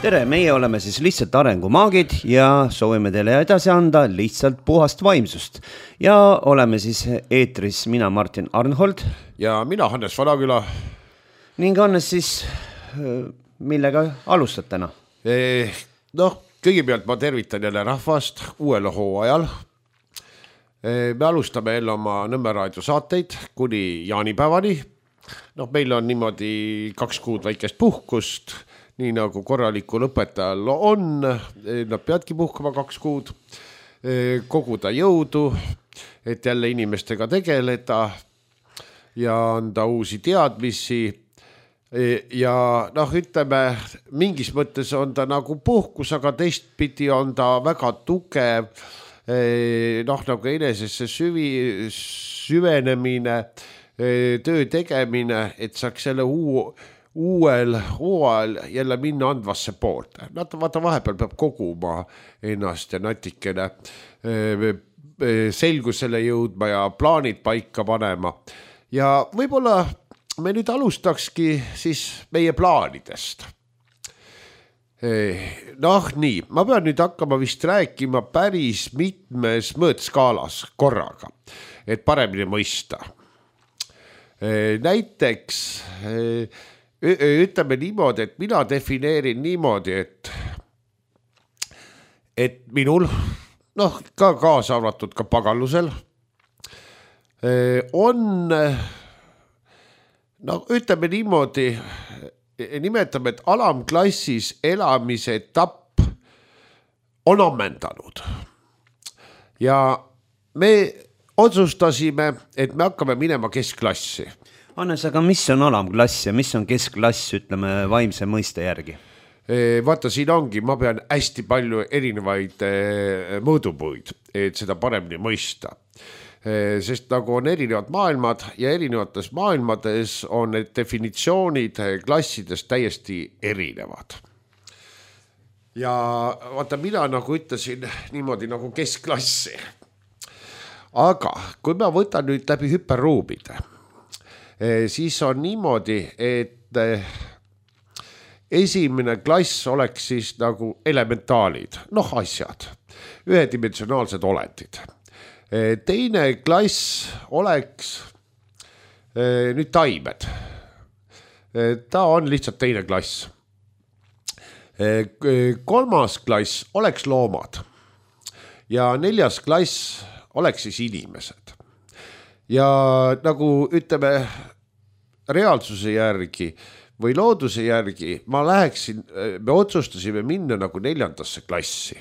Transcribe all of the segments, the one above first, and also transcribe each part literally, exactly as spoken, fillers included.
tere, meie oleme siis lihtsalt arengumaagid ja soovime teile edasi anda lihtsalt puhast vaimsust. Ja oleme siis eetris mina Martin Arnhold. Ja mina Hannes Vanaküla. Ning Hannes siis, millega alustad täna? Eh, noh, kõigepealt ma tervitan jälle rahvast uuel hooajal. Eh, me alustame jälle oma Nõmme raadio saateid kuni jaanipäevani. Noh, meil on niimoodi kaks kuud väikest puhkust, nii nagu korralikul õpetajal on, nad peadki puhkama kaks kuud, koguda jõudu, et jälle inimestega tegeleda ja anda uusi teadmisi. Ja noh, ütleme, mingis mõttes on ta nagu puhkus, aga teistpidi on ta väga tugev, noh nagu enesesse süvi, süvenemine, töö tegemine, et saaks selle uu uuel hooajal jälle minna andvasse poolt. Nad vaata vahepeal peab koguma ennast ja natikene selgusele jõudma ja plaanid paika panema. Ja võib-olla me nüüd alustakski siis meie plaanidest. Noh nii, ma pean nüüd hakkama vist rääkima päris mitmes mõõtskaalas korraga, et paremini mõista. Näiteks ütleme niimoodi, et mina defineerin niimoodi, et, et minul, noh ka kaasa arvatud ka pagallusel, on, no ütleme niimoodi, nimetame, et alamklassis elamise etapp on ammendanud. Ja me otsustasime, et me hakkame minema keskklassi. Hannes, aga mis on alamklass ja mis on keskklass, ütleme, vaimse mõiste järgi? Vaata, siin ongi, ma pean hästi palju erinevaid mõõdupuid, et seda paremini mõista. Sest nagu on erinevad maailmad ja erinevates maailmades on need definitsioonid klassidest täiesti erinevad. Ja vaata, mina nagu ütlesin niimoodi nagu keskklassi. Aga kui ma võtan nüüd läbi hüperruumide, siis on niimoodi, et esimene klass oleks siis nagu elementaalid, noh asjad, ühedimensionaalsed olendid. Teine klass oleks nüüd taimed. Ta on lihtsalt teine klass. Kolmas klass oleks loomad ja neljas klass oleks siis inimesed. Ja nagu ütleme reaalsuse järgi või looduse järgi, ma läheksin, me otsustasime minna nagu neljandasse klassi.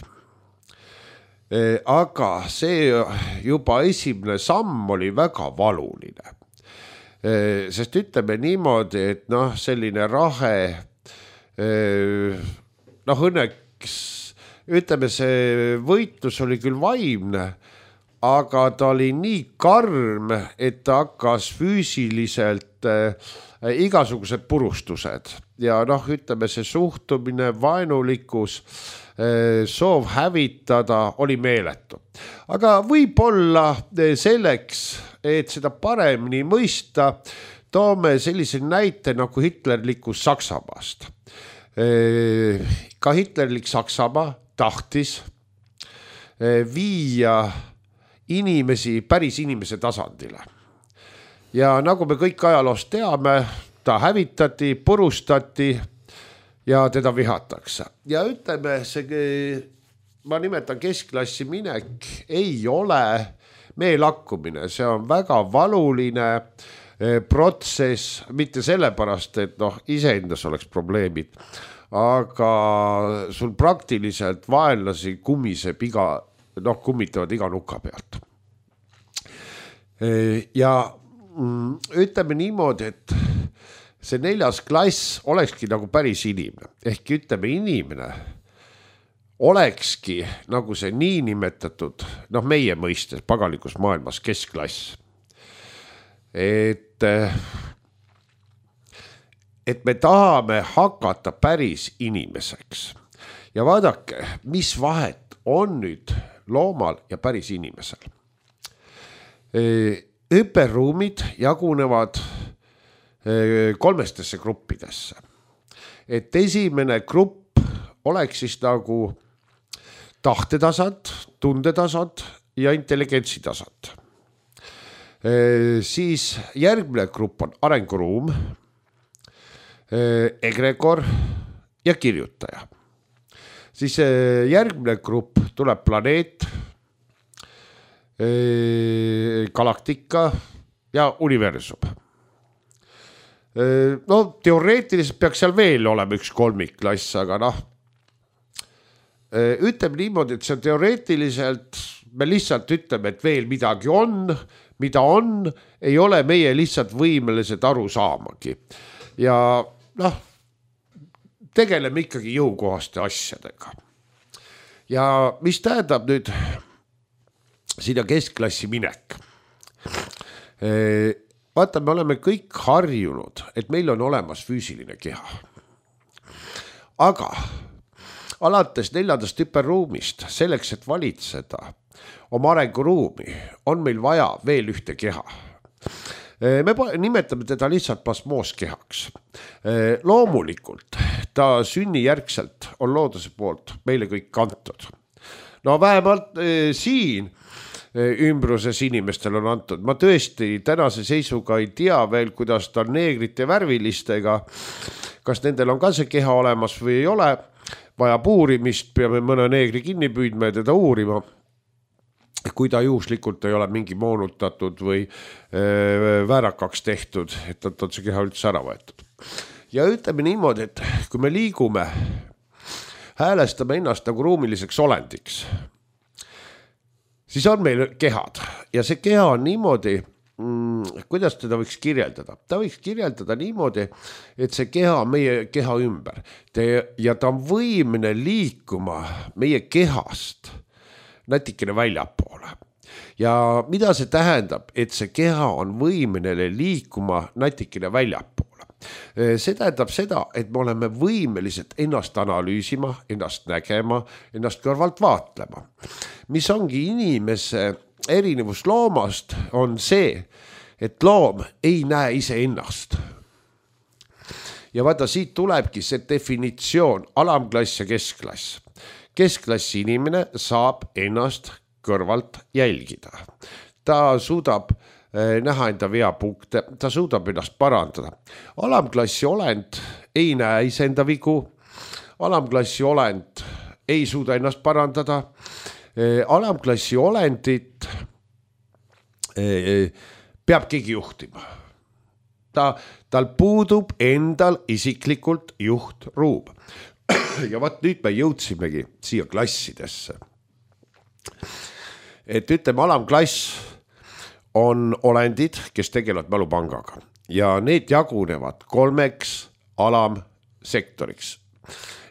Aga see juba esimene samm oli väga valuline. Sest ütleme niimoodi, et noh, selline rahe, noh õnneks, ütleme see võitlus oli küll vaimne, aga ta oli nii karm, et ta hakkas füüsiliselt äh, igasugused purustused. Ja noh, ütleme see suhtumine, vaenulikkus, äh, soov hävitada oli meeletu. Aga võib-olla selleks, et seda paremini mõista, toome sellise näite nagu hitlerlikus Saksamaast. Äh, ka hitlerlik Saksamaa tahtis äh, viia inimesi päris inimese tasandile. Ja nagu me kõik ajaloost teame, ta hävitati, purustati ja teda vihatakse. Ja ütleme, see, ma nimetan keskklassi minek, ei ole meelakkumine, see on väga valuline protsess, mitte sellepärast, et noh, iseendas oleks probleemid, aga sul praktiliselt vaenlasi kummiseb iga noh, kummitavad iga nuka pealt. Ja ütleme niimoodi, et see neljas klass olekski nagu päris inimene. Ehk ütleme inimene olekski nagu see nii nimetatud, noh meie mõistes pagalikus maailmas keskklass. Et, et me tahame hakata päris inimeseks. Ja vaadake, mis vahet on nüüd loomal ja päris inimesel. Hüperruumid jagunevad kolmestesse gruppidesse. Et esimene grupp oleks siis nagu tahtetasand, tundetasand ja intelligentsi tasand. Siis järgmine grupp on arenguruum, egregor ja kirjutaja. Siis järgmine grupp tuleb planeet, galaktika ja universum. No teoreetiliselt peaks seal veel olema üks kolmikklass, aga noh, ütleme niimoodi, et see on teoreetiliselt, me lihtsalt ütleme, et veel midagi on, mida on, ei ole meie lihtsalt võimelised aru saamagi. Ja noh, tegeleme ikkagi jõukohaste asjadega. Ja mis tähendab nüüd sinna keskklassi minek? Vaata, me oleme kõik harjunud, et meil on olemas füüsiline keha. Aga alates neljandast hüperruumist, selleks, et valitseda oma arenguruumi, on meil vaja veel ühte keha. Me nimetame teda lihtsalt plasmooskehaks. Loomulikult ta sünnijärgselt on looduse poolt meile kõik kantud. No vähemalt eh, siin ümbruses inimestel on antud. Ma tõesti tänase seisuga ei tea veel, kuidas ta on neegrite värvilistega. Kas nendel on ka see keha olemas või ei ole. Vaja uurimist, peame mõne neegri kinni püüdma ja teda uurima. Kui ta juhuslikult ei ole mingi moonutatud või äh, väärakaks tehtud, et on see keha üldse ära võetud. Ja ütleme niimoodi, et kui me liigume, häälestame ennast nagu ruumiliseks olendiks, siis on meil kehad ja see keha on niimoodi, mm, kuidas teda võiks kirjeldada? Ta võiks kirjeldada niimoodi, et see keha on meie keha ümber ja ta on võimene liikuma meie kehast natikene väljapoole. Ja mida see tähendab, et see keha on võimenele liikuma natikene väljapoole? See tähendab seda, et me oleme võimelised ennast analüüsima, ennast nägema, ennast kõrvalt vaatlema. Mis ongi inimese erinevus loomast, on see, et loom ei näe ise ennast. Ja vaata, siit tulebki see definitsioon, alamklass ja keskklass. Keskklassi inimene saab ennast kõrvalt jälgida. Ta suudab näha enda veapunkte, ta suudab ennast parandada. Alamklassi olend ei näe iseenda vigu, alamklassi olend ei suuda ennast parandada, alamklassi olendit peab keegi juhtima. Ta, tal puudub endal isiklikult juhtruum. Ja vaat nüüd me jõudsimegi siia klassidesse. Et ütleme, alamklass on olendid, kes tegelevad mälupangaga ja need jagunevad kolmeks alamsektoriks.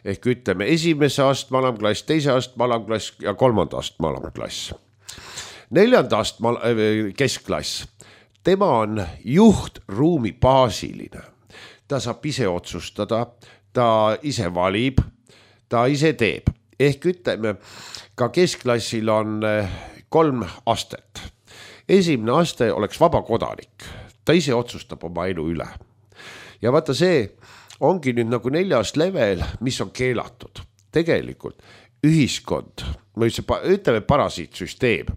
Ehk ütleme, esimese astme alamklass, teise astme alamklass ja kolmanda astme alamklass. Neljanda astme keskklass, tema on juhtruumi baasiline. Ta saab ise otsustada, ta ise valib, ta ise teeb. Ehk ütleme, ka keskklassil on kolm astet. Esimene aste oleks vaba kodanik. Ta ise otsustab oma elu üle. Ja vaata, see ongi nüüd nagu neljas level, mis on keelatud. Tegelikult ühiskond, ütleme parasiitsüsteem,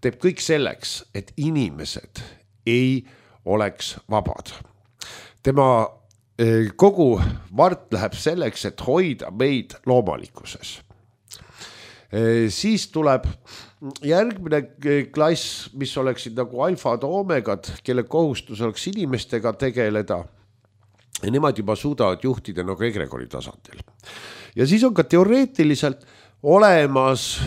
teeb kõik selleks, et inimesed ei oleks vabad. Tema kogu vart läheb selleks, et hoida meid loomalikkuses. Siis tuleb järgmine klass, mis oleksid nagu alfad omegad, kelle kohustus oleks inimestega tegeleda. Ja nemad juba suudavad juhtida nagu egregori tasandil. Ja siis on ka teoreetiliselt olemas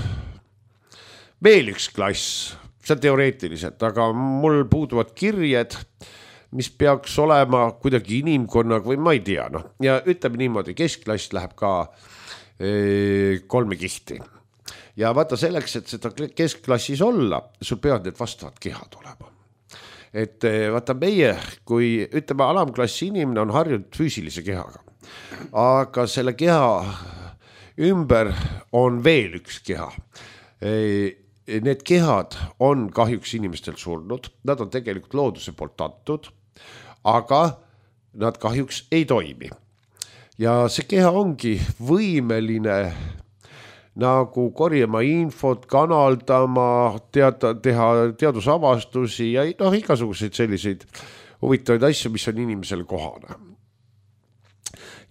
veel üks klass, see on teoreetiliselt, aga mul puuduvad kirjed, mis peaks olema kuidagi inimkonnaga või ma ei tea. No. Ja ütleme niimoodi, keskklass läheb ka e, kolme kihti. Ja vaata selleks, et seda keskklassis olla, sul peavad need vastavad kehad olema. Et vaata meie, kui ütleme alamklassi inimene on harjunud füüsilise kehaga, aga selle keha ümber on veel üks keha. E, need kehad on kahjuks inimestel surnud, nad on tegelikult looduse poolt antud, aga nad kahjuks ei toimi. ja see keha ongi võimeline nagu korjama infot, kanaldama, teada, teha teadusavastusi ja noh, igasuguseid selliseid huvitavaid asju, mis on inimesele kohane.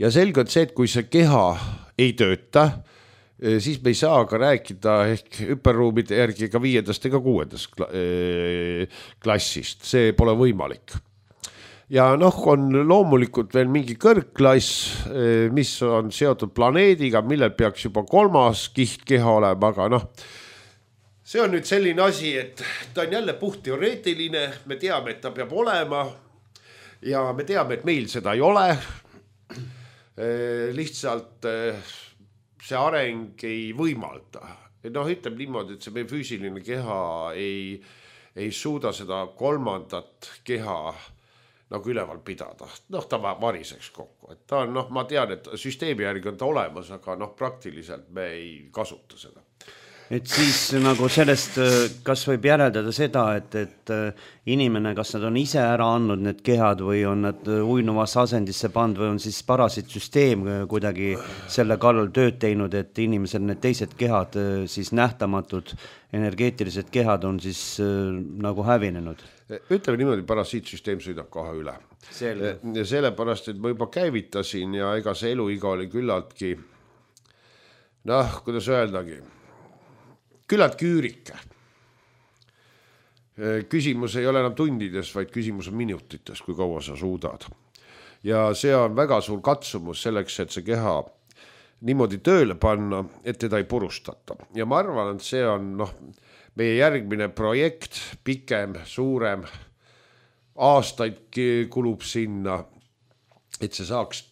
Ja selge on see, et kui see keha ei tööta, siis me ei saa ka rääkida ehk hüperruumide järgi ega viiendast ega kuuendast klassist, see pole võimalik. Ja noh, on loomulikult veel mingi kõrgklass, mis on seotud planeediga, millel peaks juba kolmas kiht keha olema, aga noh, see on nüüd selline asi, et ta on jälle puht teoreetiline, me teame, et ta peab olema ja me teame, et meil seda ei ole. Lihtsalt see areng ei võimalda. Noh, ütleb niimoodi, et see meie füüsiline keha ei, ei suuda seda kolmandat keha nagu üleval pidada. Noh, ta variseks kokku. Et ta on, noh, ma tean, et süsteemi järgi on ta olemas, aga noh, praktiliselt me ei kasuta seda. Et siis nagu sellest, kas võib järeldada seda, et, et inimene, kas nad on ise ära andnud need kehad või on nad uinuvasse asendisse pand või on siis parasiitsüsteem kuidagi selle kallal tööd teinud, et inimesel need teised kehad, siis nähtamatud energeetilised kehad on siis nagu hävinenud? Ütleme niimoodi, parasiitsüsteem sõidab kohe üle. Selge. Ja sellepärast, et ma juba käivitasin ja ega see eluiga oli küllaltki, noh, kuidas öeldagi, küllalt küürike. Küsimus ei ole enam tundides, vaid küsimus on minutites, kui kaua sa suudad. Ja see on väga suur katsumus selleks, et see keha niimoodi tööle panna, et teda ei purustata. Ja ma arvan, et see on noh, meie järgmine projekt, pikem, suurem, aastaid kulub sinna, et see saaks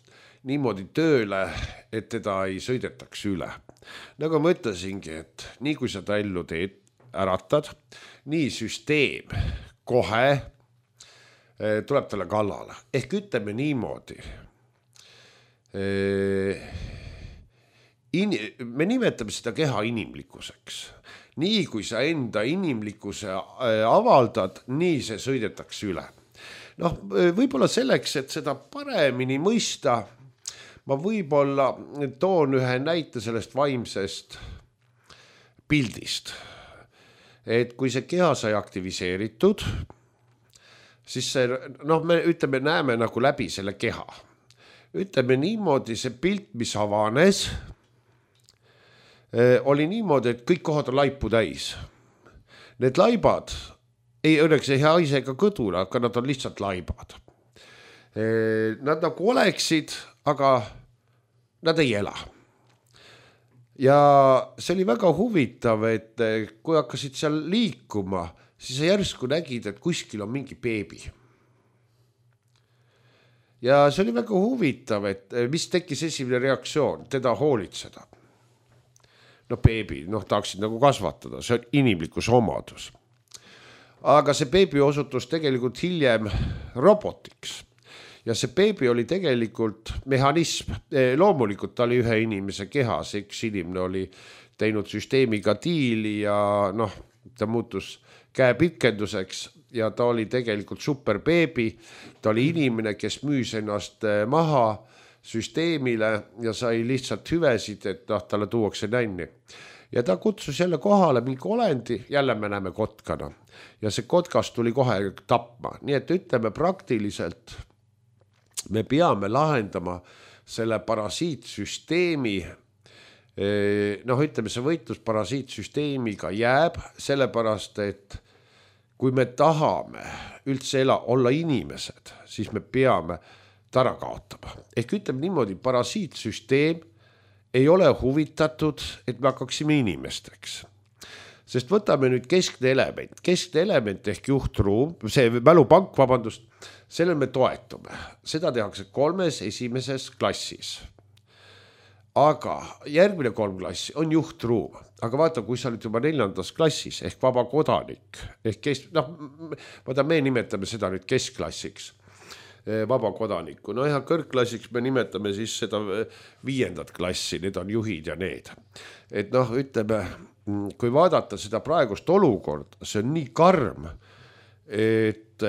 niimoodi tööle, et teda ei sõidetaks üle. Nagu ma ütlesingi, et nii kui sa ta ellu teed, äratad, nii süsteem kohe tuleb talle kallale. Ehk ütleme niimoodi. In, me nimetame seda keha inimlikkuseks. Nii kui sa enda inimlikkuse avaldad, nii see sõidetakse üle. Noh, võib-olla selleks, et seda paremini mõista, ma võib-olla toon ühe näite sellest vaimsest pildist. Et kui see keha sai aktiviseeritud, siis see, noh, me ütleme, näeme nagu läbi selle keha. Ütleme niimoodi, see pilt, mis avanes, oli niimoodi, et kõik kohad on laipu täis. Need laibad, ei õnneks ei haise ega kõdura, aga nad on lihtsalt laibad. Nad nagu oleksid, aga nad ei ela. Ja see oli väga huvitav, et kui hakkasid seal liikuma, siis sa järsku nägid, et kuskil on mingi beebi. Ja see oli väga huvitav, et mis tekkis esimene reaktsioon, teda hoolitseda. No beebi, noh tahaksid nagu kasvatada, see on inimlikus omadus. Aga see beebi osutus tegelikult hiljem robotiks. Ja see beebi oli tegelikult mehhanism. Loomulikult ta oli ühe inimese kehas, üks inimene oli teinud süsteemiga diili ja noh, ta muutus käepikenduseks ja ta oli tegelikult super beebi. Ta oli inimene, kes müüs ennast maha süsteemile ja sai lihtsalt hüvesid, et noh, talle tuuakse nänni. Ja ta kutsus jälle kohale mingi olendi, jälle me näeme kotkana. Ja see kotkas tuli kohe tapma. Nii et ütleme praktiliselt, me peame lahendama selle parasiitsüsteemi, noh ütleme, see võitlus parasiitsüsteemiga jääb, sellepärast, et kui me tahame üldse ela, olla inimesed, siis me peame tara kaotama. Ehk ütleme niimoodi, parasiitsüsteem ei ole huvitatud, et me hakkaksime inimesteks. Sest võtame nüüd keskne element. Keskne element ehk juhtruum, see mälupank, vabandust, selle me toetume. Seda tehakse kolmes esimeses klassis. Aga järgmine kolm klassi on juhtruum. Aga vaata, kui sa oled juba neljandas klassis ehk vaba kodanik, ehk kes, noh, vaata, me nimetame seda nüüd keskklassiks, vaba kodaniku. No ja kõrgklassiks me nimetame siis seda viiendat klassi, need on juhid ja need. Et noh, ütleme, kui vaadata seda praegust olukord, see on nii karm, et,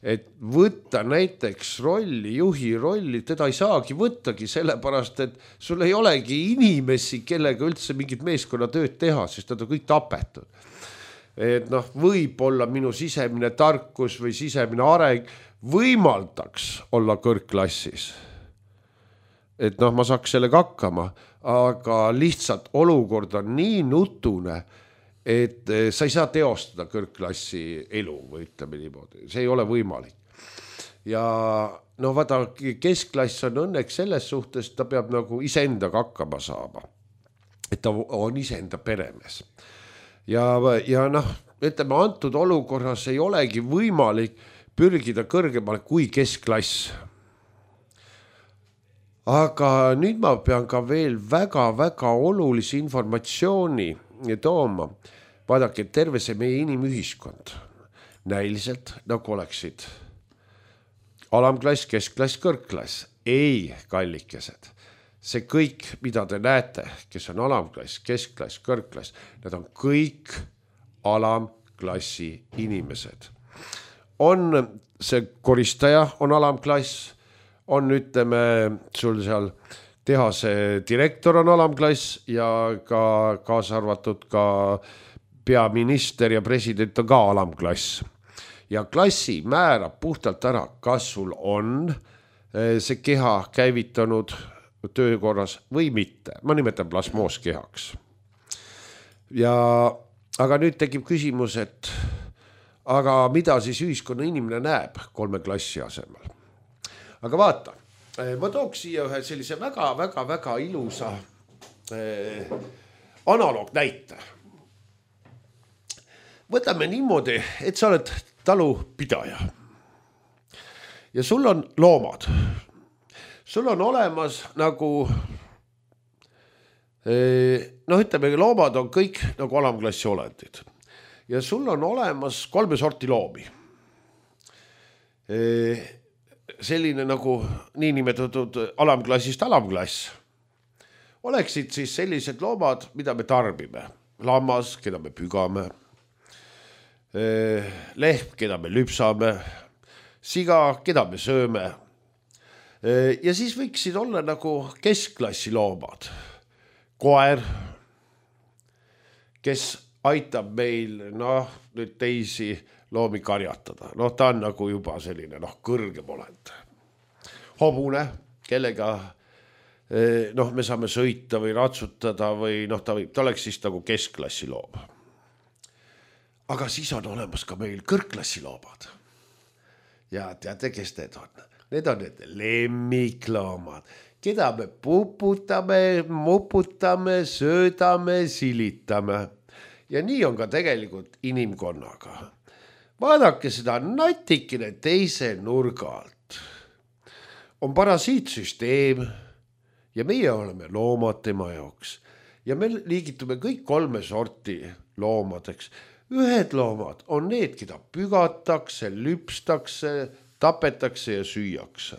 et võtta näiteks rolli, juhi rolli, teda ei saagi võttagi sellepärast, et sul ei olegi inimesi, kellega üldse mingit meeskonnatööd teha, sest nad on kõik tapetud. Et noh, võib-olla minu sisemine tarkus või sisemine areng võimaldaks olla kõrgklassis. Et noh, ma saaks sellega hakkama, aga lihtsalt olukord on nii nutune, et sa ei saa teostada kõrgklassi elu või ütleme niimoodi, see ei ole võimalik. Ja no vaata, keskklass on õnneks selles suhtes, ta peab nagu iseendaga hakkama saama, et ta on iseenda peremees. Ja, ja noh, ütleme, antud olukorras ei olegi võimalik pürgida kõrgemale kui keskklass. Aga nüüd ma pean ka veel väga-väga olulisi informatsiooni tooma. Vaadake, terve see meie inimühiskond näiliselt nagu oleksid alamklass, keskklass, kõrgklass. Ei, kallikesed. See kõik, mida te näete, kes on alamklass, keskklass, kõrgklass, need on kõik alamklassi inimesed. On see koristaja, on alamklass, on ütleme sul seal tehase direktor on alamklass ja ka kaasa arvatud ka peaminister ja president on ka alamklass. Ja klassi määrab puhtalt ära, kas sul on see keha käivitanud töökorras või mitte. Ma nimetan plasmooskehaks. Ja, aga nüüd tekib küsimus, et aga mida siis ühiskonna inimene näeb kolme klassi asemel? Aga vaata, ma tooks siia ühe sellise väga-väga-väga ilusa eh, analoog näite. Võtame niimoodi, et sa oled talupidaja ja sul on loomad. Sul on olemas nagu, noh ütleme, loomad on kõik nagu alamklassi olendid. Ja sul on olemas kolme sorti loomi. Selline nagu niinimetatud alamklassist alamklass. Oleksid siis sellised loomad, mida me tarbime. Lammas, keda me pügame. Lehm, keda me lüpsame. Siga, keda me sööme. Ja siis võiksid olla nagu keskklassi loomad. Koer, kes aitab meil noh, nüüd teisi loomi karjatada. Noh, ta on nagu juba selline noh, kõrgem olend. Hobune, kellega noh, me saame sõita või ratsutada või noh, ta, võib, ta oleks siis nagu keskklassi loom. Aga siis on olemas ka meil kõrgklassi loomad. Ja teate, kes need on? Need on need lemmikloomad, keda me puputame, muputame, söödame, silitame. Ja nii on ka tegelikult inimkonnaga. Vaadake seda natikene teise nurga alt. On parasiitsüsteem ja meie oleme loomad tema jaoks. Ja me liigitume kõik kolme sorti loomadeks. Ühed loomad on need, keda pügatakse, lüpstakse, tapetakse ja süüakse.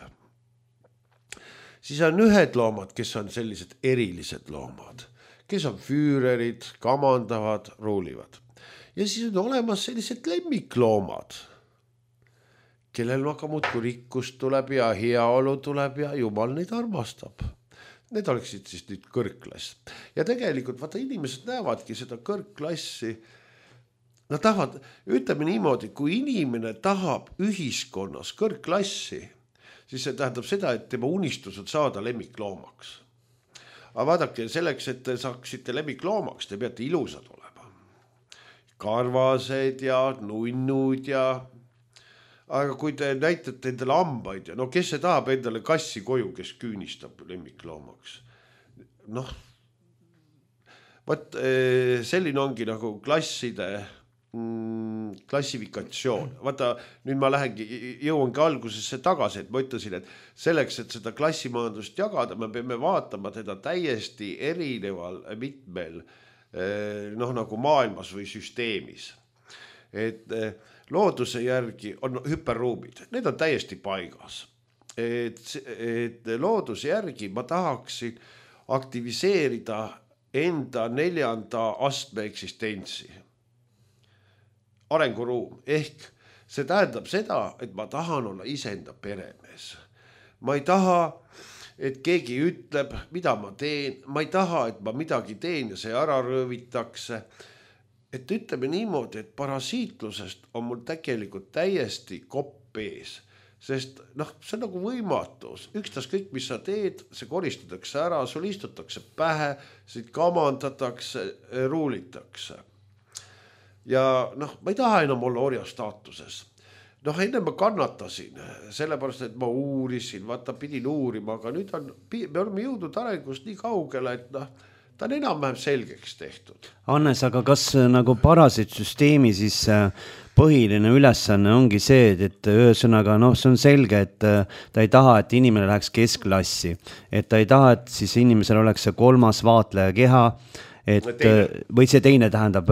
Siis on ühed loomad, kes on sellised erilised loomad, kes on füürerid, kamandavad, ruulivad. Ja siis on olemas sellised lemmikloomad, kellel aga muudkui rikkus tuleb ja heaolu tuleb ja Jumal neid armastab. Need oleksid siis nüüd kõrgklass. Ja tegelikult vaata, inimesed näevadki seda kõrgklassi. Nad tahavad, ütleme niimoodi, kui inimene tahab ühiskonnas kõrgklassi, siis see tähendab seda, et tema unistus on saada lemmikloomaks. Aga vaadake, selleks, et te saaksite lemmikloomaks, te peate ilusad olema. Karvased ja nunnud ja... Aga kui te näitate endale hambaid ja no kes see tahab endale kassi koju, kes küünistab lemmikloomaks? Noh, võt, selline ongi nagu klasside klassifikatsioon. Vaata, nüüd ma lähengi, jõuangi algusesse tagasi, et ma ütlesin, et selleks, et seda klassimajandust jagada, me peame vaatama teda täiesti erineval mitmel noh, nagu maailmas või süsteemis. Et looduse järgi on hüperruumid, need on täiesti paigas. Et, et looduse järgi ma tahaksin aktiviseerida enda neljanda astme eksistentsi. Arenguruum ehk see tähendab seda, et ma tahan olla iseenda peremees. Ma ei taha, et keegi ütleb, mida ma teen. Ma ei taha, et ma midagi teen ja see ära röövitakse. Et ütleme niimoodi, et parasiitlusest on mul tegelikult täiesti kopp ees. Sest noh, see on nagu võimatus. Ükstas kõik, mis sa teed, see koristatakse ära, sul istutakse pähe, siit kamandatakse, ruulitakse. Ja noh, ma ei taha enam olla orja staatuses. Noh, enne ma kannatasin, sellepärast, et ma uurisin, vaata, pidin uurima, aga nüüd on, me oleme jõudnud arengust nii kaugele, et noh, ta on enam-vähem selgeks tehtud. Hannes, aga kas nagu parasiitsüsteemi siis põhiline ülesanne ongi see, et ühesõnaga, noh, see on selge, et ta ei taha, et inimene läheks keskklassi, et ta ei taha, et siis inimesel oleks see kolmas vaatleja keha, et teine. Või see teine tähendab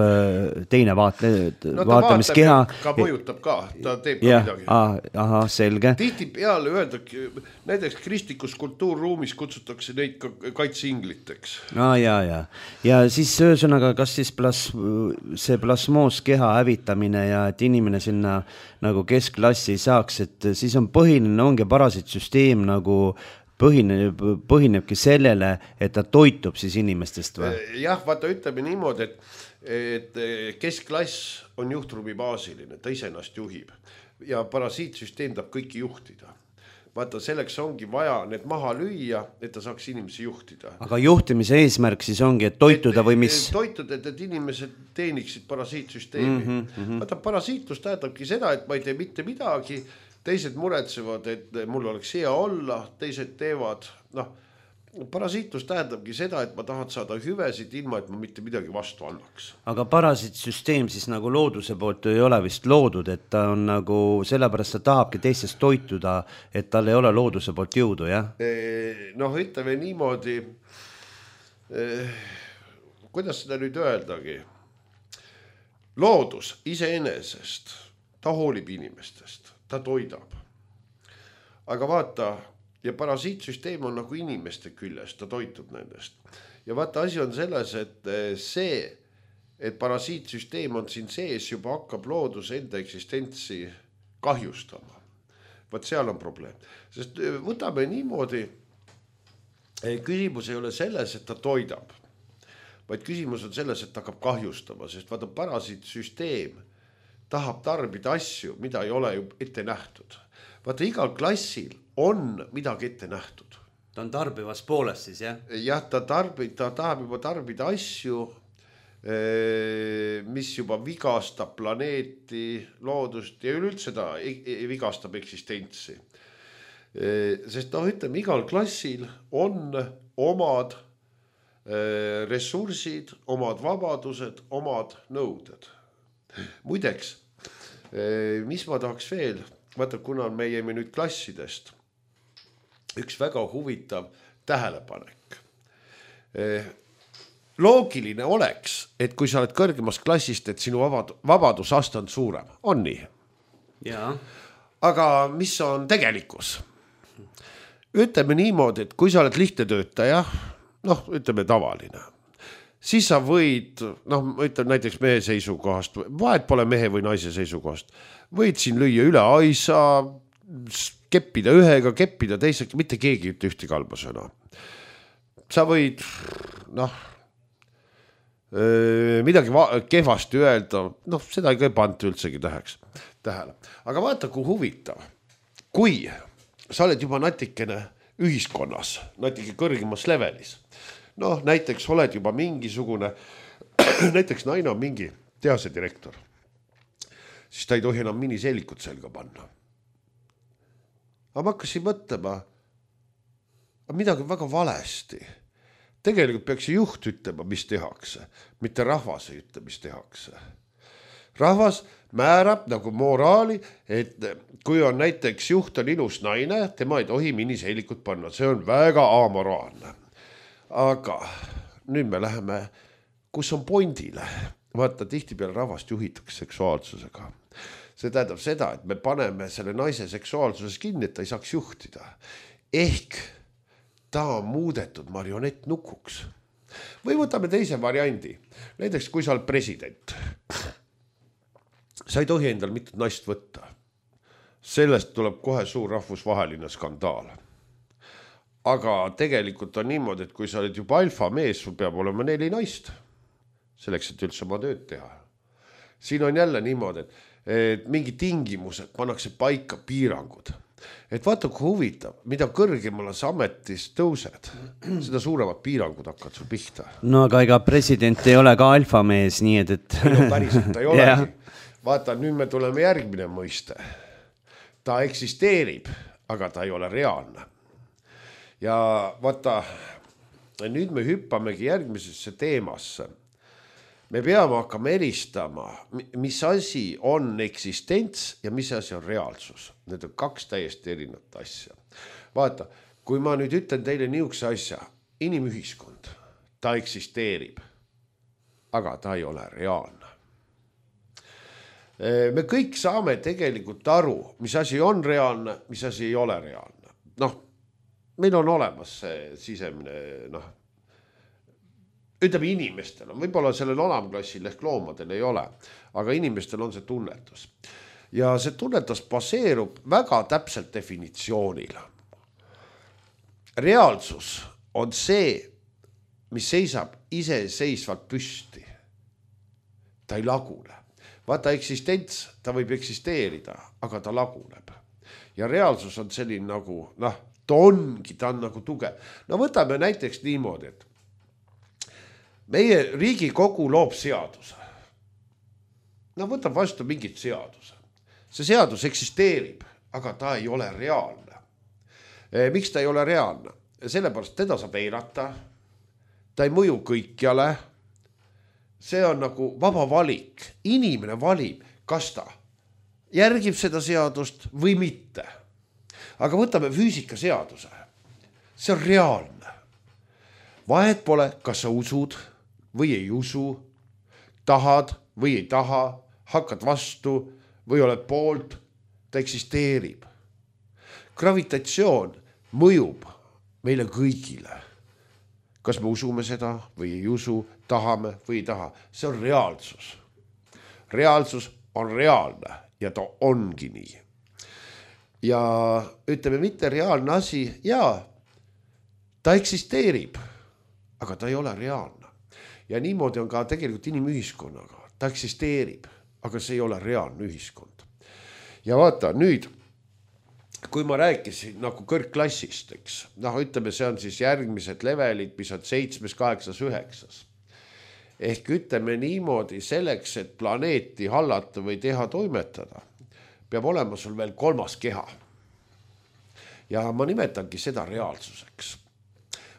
teine vaatle, no, vaatamiskeha. Ka mõjutab ka, ta teeb ja, ka midagi. Ah, aha, selge. Tihti peale öeldagi, näiteks kristlikus kultuurruumis kutsutakse neid ka kaitseingliteks. Ah, ja, ja. ja siis ühesõnaga, kas siis plas, see plasmooskeha hävitamine ja et inimene sinna nagu keskklassi ei saaks, et siis on põhiline ongi parasiitsüsteem nagu Põhineb, põhinebki sellele, et ta toitub siis inimestest või? Jah, vaata ütleme niimoodi, et, et keskklass on juhtruumi baasiline, ta ise ennast juhib ja parasiitsüsteem tahab kõiki juhtida. Vaata, selleks ongi vaja need maha lüüa, et ta saaks inimesi juhtida. Aga juhtimise eesmärk siis ongi, et toituda et, või mis? Toituda, et, et inimesed teeniksid parasiitsüsteemi. Mm -hmm. Vaata, parasiitlus tähendabki seda, et ma ei tee mitte midagi, teised muretsevad, et mul oleks hea olla, teised teevad, noh, parasiitlus tähendabki seda, et ma tahan saada hüvesid ilma, et ma mitte midagi vastu annaks. Aga parasiitsüsteem siis nagu looduse poolt ei ole vist loodud, et ta on nagu, sellepärast ta tahabki teistest toituda, et tal ei ole looduse poolt jõudu, jah? Noh, ütleme niimoodi, eh, kuidas seda nüüd öeldagi? Loodus iseenesest, ta hoolib inimestest. Ta toidab. Aga vaata, ja parasiitsüsteem on nagu inimeste küljes, ta toitub nendest. Ja vaata, asi on selles, et see, et parasiitsüsteem on siin sees, juba hakkab loodus enda eksistentsi kahjustama. Vaat seal on probleem. Sest võtame niimoodi, küsimus ei ole selles, et ta toidab, vaid küsimus on selles, et ta hakkab kahjustama, sest vaata, parasiitsüsteem tahab tarbida asju, mida ei ole ju ette nähtud. Vaata, igal klassil on midagi ette nähtud. Ta on tarbivas pooles siis, jah? Jah, ta, tarbib, ta tahab juba tarbida asju, mis juba vigastab planeeti, loodust ja üleüldse ta vigastab eksistentsi. Sest noh, ütleme, igal klassil on omad ressursid, omad vabadused, omad nõuded. Muideks, mis ma tahaks veel, vaata, kuna me jäime nüüd klassidest, üks väga huvitav tähelepanek. Loogiline oleks, et kui sa oled kõrgemast klassist, et sinu vabad, vabadusaste on suurem, on nii? Jaa. Aga mis on tegelikkus? Ütleme niimoodi, et kui sa oled lihtne töötaja, noh, ütleme tavaline, siis sa võid, noh, ütleme näiteks mehe seisukohast, vahet pole mehe või naise seisukohast, võid siin lüüa üle aisa, keppida ühega, keppida teisega, mitte keegi ütle ühte kalba sõna. Sa võid, noh, midagi kehvasti öelda, noh, seda ei panta üldsegi täheks, tähele. Aga vaata, kui huvitav, kui sa oled juba natikene ühiskonnas, natuke kõrgemas levelis, noh, näiteks oled juba mingisugune, näiteks naine on mingi tehase direktor, siis ta ei tohi enam miniseelikut selga panna. Aga ma hakkasin mõtlema, midagi väga valesti. Tegelikult peaks juht ütlema, mis tehakse, mitte rahvas ei ütle, mis tehakse. Rahvas määrab nagu moraali, et kui on näiteks juht on ilus naine, tema ei tohi miniseelikut panna, see on väga amoraalne. Aga nüüd me läheme, kus on pondile. Vaata, tihti peale rahvast juhitakse seksuaalsusega. See tähendab seda, et me paneme selle naise seksuaalsuses kinni, et ta ei saaks juhtida. Ehk ta on muudetud marionettnukuks. Või võtame teise variandi. Näiteks, kui sa oled president. sa ei tohi endal mitte naist võtta. Sellest tuleb kohe suur rahvusvaheline skandaal. Aga tegelikult on niimoodi, et kui sa oled juba alfa mees, sul peab olema neli naist, selleks, et üldse oma tööd teha. Siin on jälle niimoodi, et, et mingi tingimused pannakse paika piirangud. Et vaata, kui huvitav, mida kõrgemale sa ametis tõused, seda suuremad piirangud hakkad sul pihta. No aga ega president ei ole ka alfamees, nii et... et... No päriselt ta ei olegi. Vaata, nüüd me tuleme järgmine mõiste. Ta eksisteerib, aga ta ei ole reaalne. Ja vaata, nüüd me hüppamegi järgmisesse teemasse. Me peame hakkama eristama, mis asi on eksistents ja mis asi on reaalsus. Need on kaks täiesti erinevat asja. Vaata, kui ma nüüd ütlen teile niisuguse asja, inimühiskond, ta eksisteerib, aga ta ei ole reaalne. Me kõik saame tegelikult aru, mis asi on reaalne, mis asi ei ole reaalne. Noh, meil on olemas see sisemine, noh, ütleme inimestel on, võib-olla sellel alamklassil ehk loomadel ei ole, aga inimestel on see tunnetus. Ja see tunnetus baseerub väga täpselt definitsioonil. Reaalsus on see, mis seisab iseseisvalt püsti. Ta ei lagune. Vaata, eksistents, ta võib eksisteerida, aga ta laguneb. Ja reaalsus on selline nagu, noh, ta ongi, ta on nagu tugev. No võtame näiteks niimoodi, et meie Riigikogu loob seaduse. No võtab vastu mingit seaduse. See seadus eksisteerib, aga ta ei ole reaalne. Miks ta ei ole reaalne? Sellepärast teda saab eirata. Ta ei mõju kõikjale. See on nagu vaba valik. Inimene valib, kas ta järgib seda seadust või mitte. Aga võtame füüsikaseaduse. See on reaalne. Vahet pole, kas sa usud või ei usu, tahad või ei taha, hakkad vastu või oled poolt, ta eksisteerib. Gravitatsioon mõjub meile kõigile. Kas me usume seda või ei usu, tahame või ei taha. See on reaalsus. Reaalsus on reaalne ja ta ongi nii. Ja ütleme mitte reaalne asi, jaa, ta eksisteerib, aga ta ei ole reaalne. Ja niimoodi on ka tegelikult inimühiskonnaga. Ta eksisteerib, aga see ei ole reaalne ühiskond. Ja vaata, nüüd, kui ma rääkisin nagu kõrgklassist, eks, noh, ütleme, see on siis järgmised levelid, mis on seitsmes, kaheksas, üheksas. Ehk ütleme niimoodi, selleks, et planeeti hallata või teha toimetada, peab olema sul veel kolmas keha. Ja ma nimetangi seda reaalsuseks.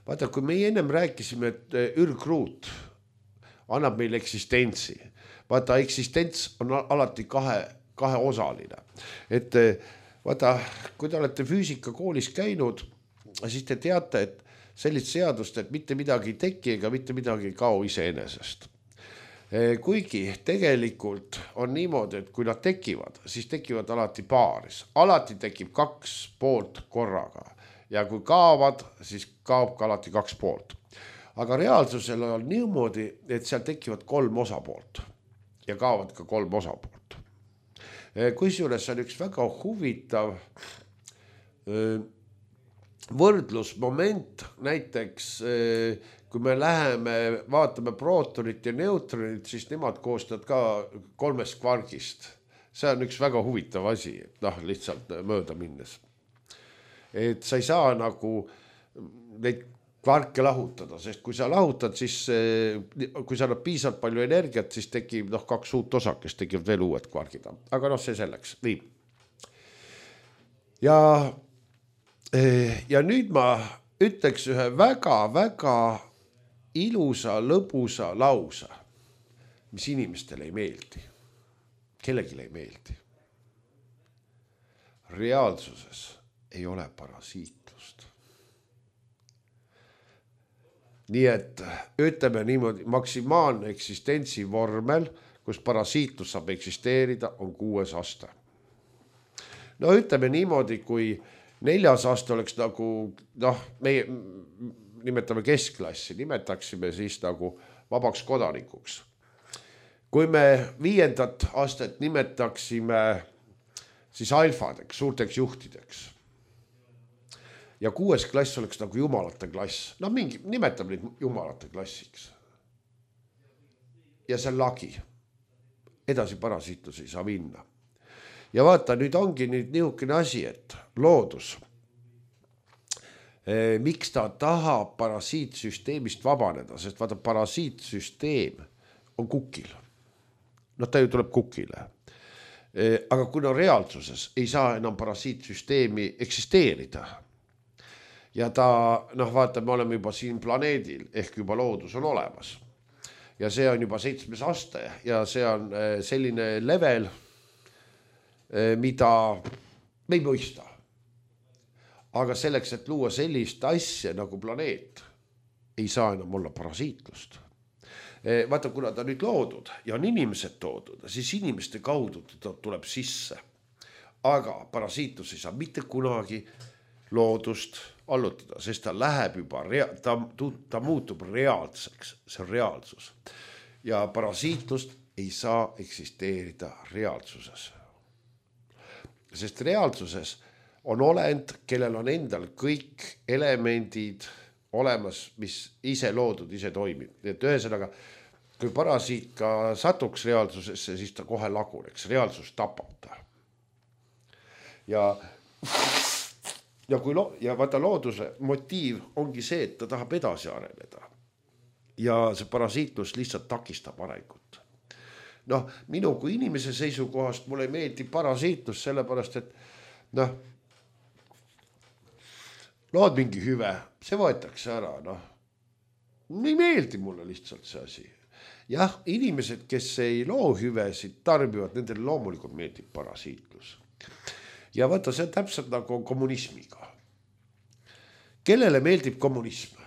Vaata, kui me ennem rääkisime, et ürgruut annab meil eksistentsi. Vaata, eksistents on alati kahe, kahe osaline. Et vaata, kui te olete füüsikakoolis käinud, siis te teate, et sellist seadust, et mitte midagi ei teki ega mitte midagi ei kao iseenesest. Kuigi tegelikult on niimoodi, et kui nad tekivad, siis tekivad alati paaris. Alati tekib kaks poolt korraga. Ja kui kaovad, siis kaob ka alati kaks poolt. Aga reaalsusel on niimoodi, et seal tekivad kolm osapoolt ja kaovad ka kolm osapoolt. Kusjuures on üks väga huvitav võrdlusmoment, näiteks kui me läheme, vaatame prootonit ja neutronit, siis nemad koostavad ka kolmest kvargist. See on üks väga huvitav asi, noh, lihtsalt mööda minnes. Et sa ei saa nagu neid kvarke lahutada, sest kui sa lahutad, siis kui sa annad piisavalt palju energiat, siis tekib noh, kaks uut osakest, tekib veel uued kvargid. Aga noh, see selleks. Nii. Ja, ja nüüd ma ütleks ühe väga-väga ilusa, lõbusa lausa, mis inimestele ei meeldi. Kellegile ei meeldi. Reaalsuses ei ole parasiitlust. Nii et ütleme niimoodi, maksimaalne eksistentsi vormel, kus parasiitlus saab eksisteerida, on kuues aste. No ütleme niimoodi, kui neljas aste oleks nagu, noh, meie nimetame keskklassi, nimetaksime siis nagu vabaks kodanikuks. kui me viiendat astet nimetaksime siis alfadeks, suurteks juhtideks ja kuues klass oleks nagu jumalate klass, no mingi, nimetame neid jumalate klassiks. Ja see on lagi. Edasi parasiitlus ei saa minna. Ja vaata, nüüd ongi nüüd niisugune asi, et loodus, miks ta tahab parasiitsüsteemist vabaneda, sest vaata, parasiitsüsteem on kukil. No ta ju tuleb kukile. Aga kuna reaalsuses ei saa enam parasiitsüsteemi eksisteerida ja ta, noh vaata, me oleme juba siin planeedil ehk juba loodus on olemas ja see on juba seitsmes aste ja see on selline level, mida me ei mõista. Aga selleks, et luua sellist asja nagu planeet, ei saa enam olla parasiitlust. Vaata, kuna ta nüüd loodud ja on inimesed toodud, siis inimeste kaudu ta tuleb sisse. Aga parasiitlus ei saa mitte kunagi loodust allutada, sest ta läheb juba, ta, ta muutub reaalseks, see on reaalsus. Ja parasiitlust ei saa eksisteerida reaalsuses. Sest reaalsuses on olend, kellel on endal kõik elemendid olemas, mis ise loodud, ise toimib. Et ühesõnaga, kui parasiit ka satuks reaalsusesse, siis ta kohe laguneks. Reaalsus tapab ta. Ja, ja, kui lo, ja vaata looduse motiiv ongi see, et ta tahab edasi areneda. Ja see parasiitlus lihtsalt takistab arengut. Noh, minu kui inimese seisukohast mulle ei meeldi parasiitlus sellepärast, et noh, lood mingi hüve, see võetakse ära, noh. Ei meeldi mulle lihtsalt see asi. Jah, inimesed, kes ei loo hüvesid, tarbivad, nendele loomulikult meeldib parasiitlus. Ja vaata, see on täpselt nagu kommunismiga. Kellele meeldib kommunism?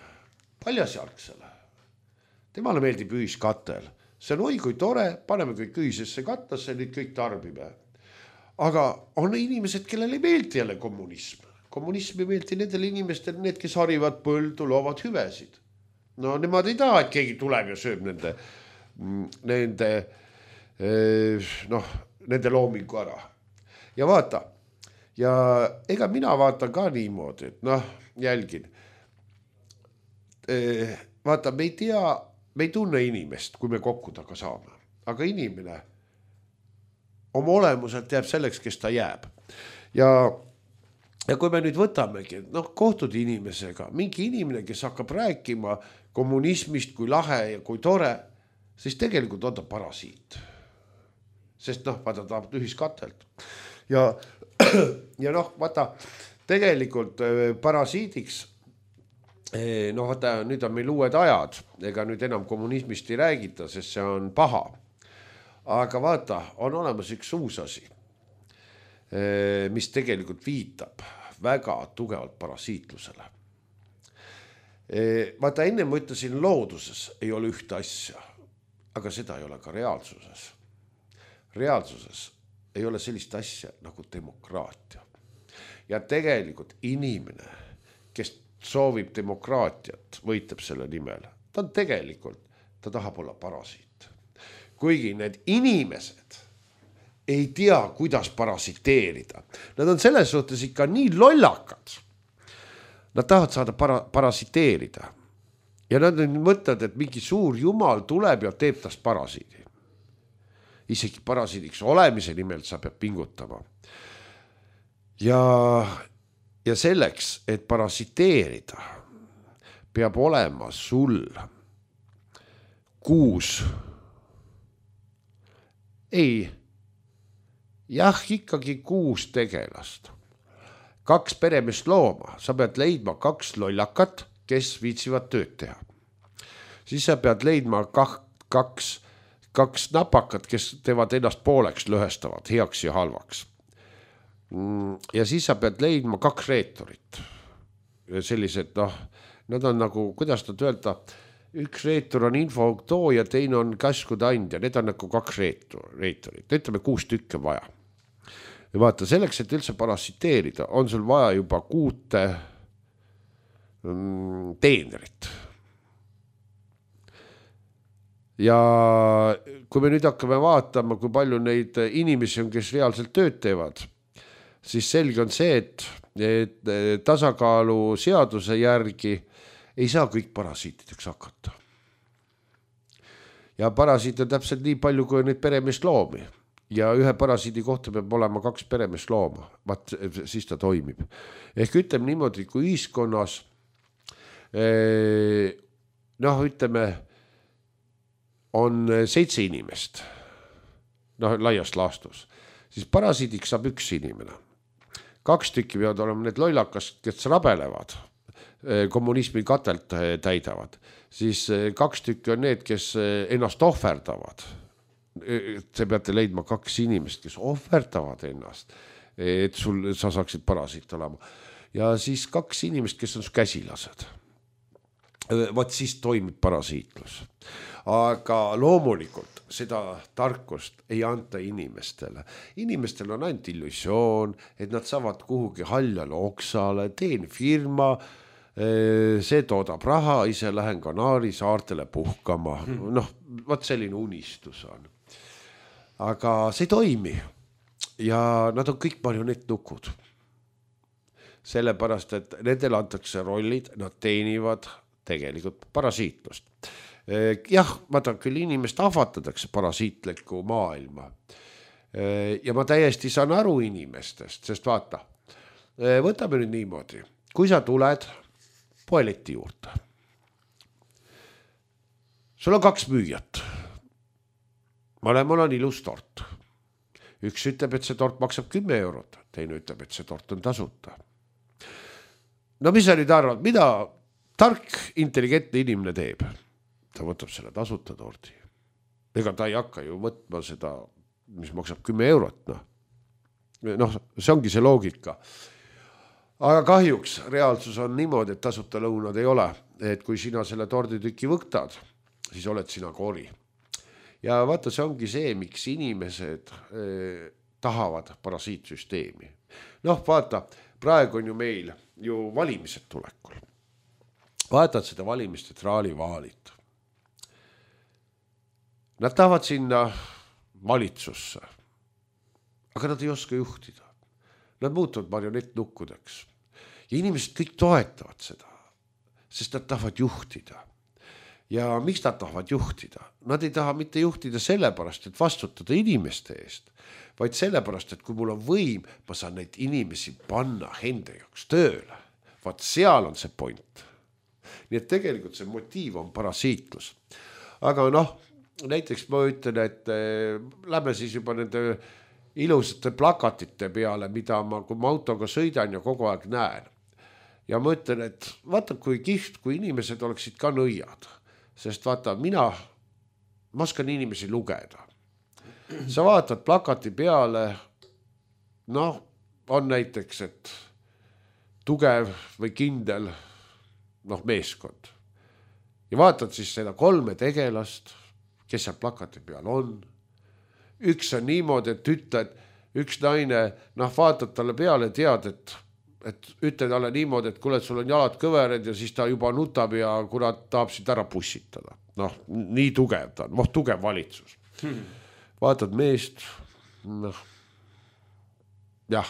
Paljasjalgsele. Temale meeldib ühiskatel. See on oi kui tore, paneme kõik ühisesse katlasse, nüüd kõik tarbime. Aga on inimesed, kellele ei meeldi jälle kommunism. Kommunism ei meeldi nendele inimestele, need, kes harivad põldu, loovad hüvesid. No nemad ei taha, et keegi tuleb ja sööb nende, nende, noh, nende loomingu ära. Ja vaata, ja ega mina vaatan ka niimoodi, et noh, jälgin. Vaata, me ei tea, me ei tunne inimest, kui me kokku taga saame. Aga inimene oma olemuselt jääb selleks, kes ta jääb. Ja Ja kui me nüüd võtamegi, noh, kohtud inimesega, mingi inimene, kes hakkab rääkima kommunismist kui lahe ja kui tore, siis tegelikult on ta parasiit. Sest noh, vaata, ta tahab ühiskatelt. Ja, ja noh, vaata, tegelikult parasiidiks, noh, vaata, nüüd on meil uued ajad, ega nüüd enam kommunismist ei räägita, sest see on paha. Aga vaata, on olemas üks uus asi, mis tegelikult viitab väga tugevalt parasiitlusele. Vaata, enne ma ütlesin, looduses ei ole ühte asja, aga seda ei ole ka reaalsuses. Reaalsuses ei ole sellist asja nagu demokraatia. Ja tegelikult inimene, kes soovib demokraatiat, võitleb selle nimel. Ta on tegelikult, ta tahab olla parasiit. Kuigi need inimesed ei tea, kuidas parasiteerida. Nad on selles suhtes ikka nii lollakad. Nad tahavad saada para, parasiteerida. Ja nad mõtlevad, et mingi suur jumal tuleb ja teeb tast parasiidi. Isegi parasiidiks olemise nimel sa peab pingutama. Ja, ja selleks, et parasiteerida, peab olema sul kuus. Ei, jah, ikkagi kuus tegelast. Kaks peremest looma. Sa pead leidma kaks lollakat, kes viitsivad tööd teha. Siis sa pead leidma kaks, kaks napakat, kes teevad ennast pooleks lõhestavad, heaks ja halvaks. Ja siis sa pead leidma kaks reetorit. Sellised, noh, nad on nagu, kuidas nad öelda, üks reetur on infotoo ja teine on käskude andja. Need on nagu kaks reetorit. Ütleme kuus tükke vaja. Ja vaata, selleks, et üldse parasiteerida, on sul vaja juba kuute teenerit. Ja kui me nüüd hakkame vaatama, kui palju neid inimesi on, kes reaalselt tööd teevad, siis selge on see, et, et tasakaalu seaduse järgi ei saa kõik parasiitideks hakata. Ja parasiit on täpselt nii palju, kui on neid peremeest loomi. Ja ühe parasiidi kohta peab olema kaks peremeest looma. Vaat siis ta toimib. Ehk ütleme niimoodi, kui ühiskonnas noh, ütleme, on seitse inimest, noh, laiast laastus, siis parasiidiks saab üks inimene. Kaks tükki peavad olema need lollakas, kes rabelevad, kommunismi katelt täidavad, siis kaks tükki on need, kes ennast ohverdavad. Te peate leidma kaks inimest, kes ohverdavad ennast, et sul, sa saaksid parasiit olema. Ja siis kaks inimest, kes on su käsilased. Vaat siis toimib parasiitlus. Aga loomulikult seda tarkust ei anta inimestele. Inimestel on ainult illusioon, et nad saavad kuhugi haljale oksale, teen firma, see toodab raha, ise lähen Kanaari saartele puhkama. Noh, vaat selline unistus on. Aga see ei toimi. Ja nad on kõik marionettnukud. Sellepärast, et nendel antakse rollid, nad teenivad tegelikult parasiitlust. Jah, vaata küll inimest ahvatadakse parasiitliku maailma. Ja ma täiesti saan aru inimestest, sest vaata, võtame nüüd niimoodi. Kui sa tuled poeleti juurde, sul on kaks müüjat. Mõlemal on ilus tort. Üks ütleb, et see tort maksab kümme eurot, teine ütleb, et see tort on tasuta. No mis sa nüüd arvad, mida tark, intelligentne inimene teeb? Ta võtab selle tasuta tordi. Ega ta ei hakka ju võtma seda, mis maksab kümme eurot. No. noh, see ongi see loogika. Aga kahjuks reaalsus on niimoodi, et tasuta lõunad ei ole. Et kui sina selle torditüki võtad, siis oled sina kori. Ja vaata, see ongi see, miks inimesed eh, tahavad parasiitsüsteemi. Noh, vaata, praegu on ju meil ju valimised tulekul. Vaatad seda valimiste traalivaalit. Nad tahavad sinna valitsusse, aga nad ei oska juhtida. Nad muutuvad marionettnukkudeks. Ja inimesed kõik toetavad seda, sest nad tahavad juhtida. Ja miks nad tahavad juhtida? Nad ei taha mitte juhtida sellepärast, et vastutada inimeste eest, vaid sellepärast, et kui mul on võim, ma saan neid inimesi panna enda jaoks tööle. Vaat seal on see point. Nii et tegelikult see motiiv on parasiitlus. Aga noh, näiteks ma ütlen, et äh, lähme siis juba nende ilusate plakatite peale, mida ma, kui ma autoga sõidan ja kogu aeg näen. Ja ma ütlen, et vaata, kui kihvt, kui inimesed oleksid ka nõiad. Sest vaata, mina, ma oskan inimesi lugeda. Sa vaatad plakati peale, noh, on näiteks, et tugev või kindel, noh, meeskond. Ja vaatad siis seda kolme tegelast, kes seal plakati peal on. Üks on niimoodi, et ütled, üks naine, noh, vaatad talle peale, tead, et, et ütle talle niimoodi, et kuule, et sul on jalad kõvered ja siis ta juba nutab ja kurat tahab sind ära pussitada. Noh, nii tugev ta on, noh, tugev valitsus. Hmm. Vaatad meest, noh, jah,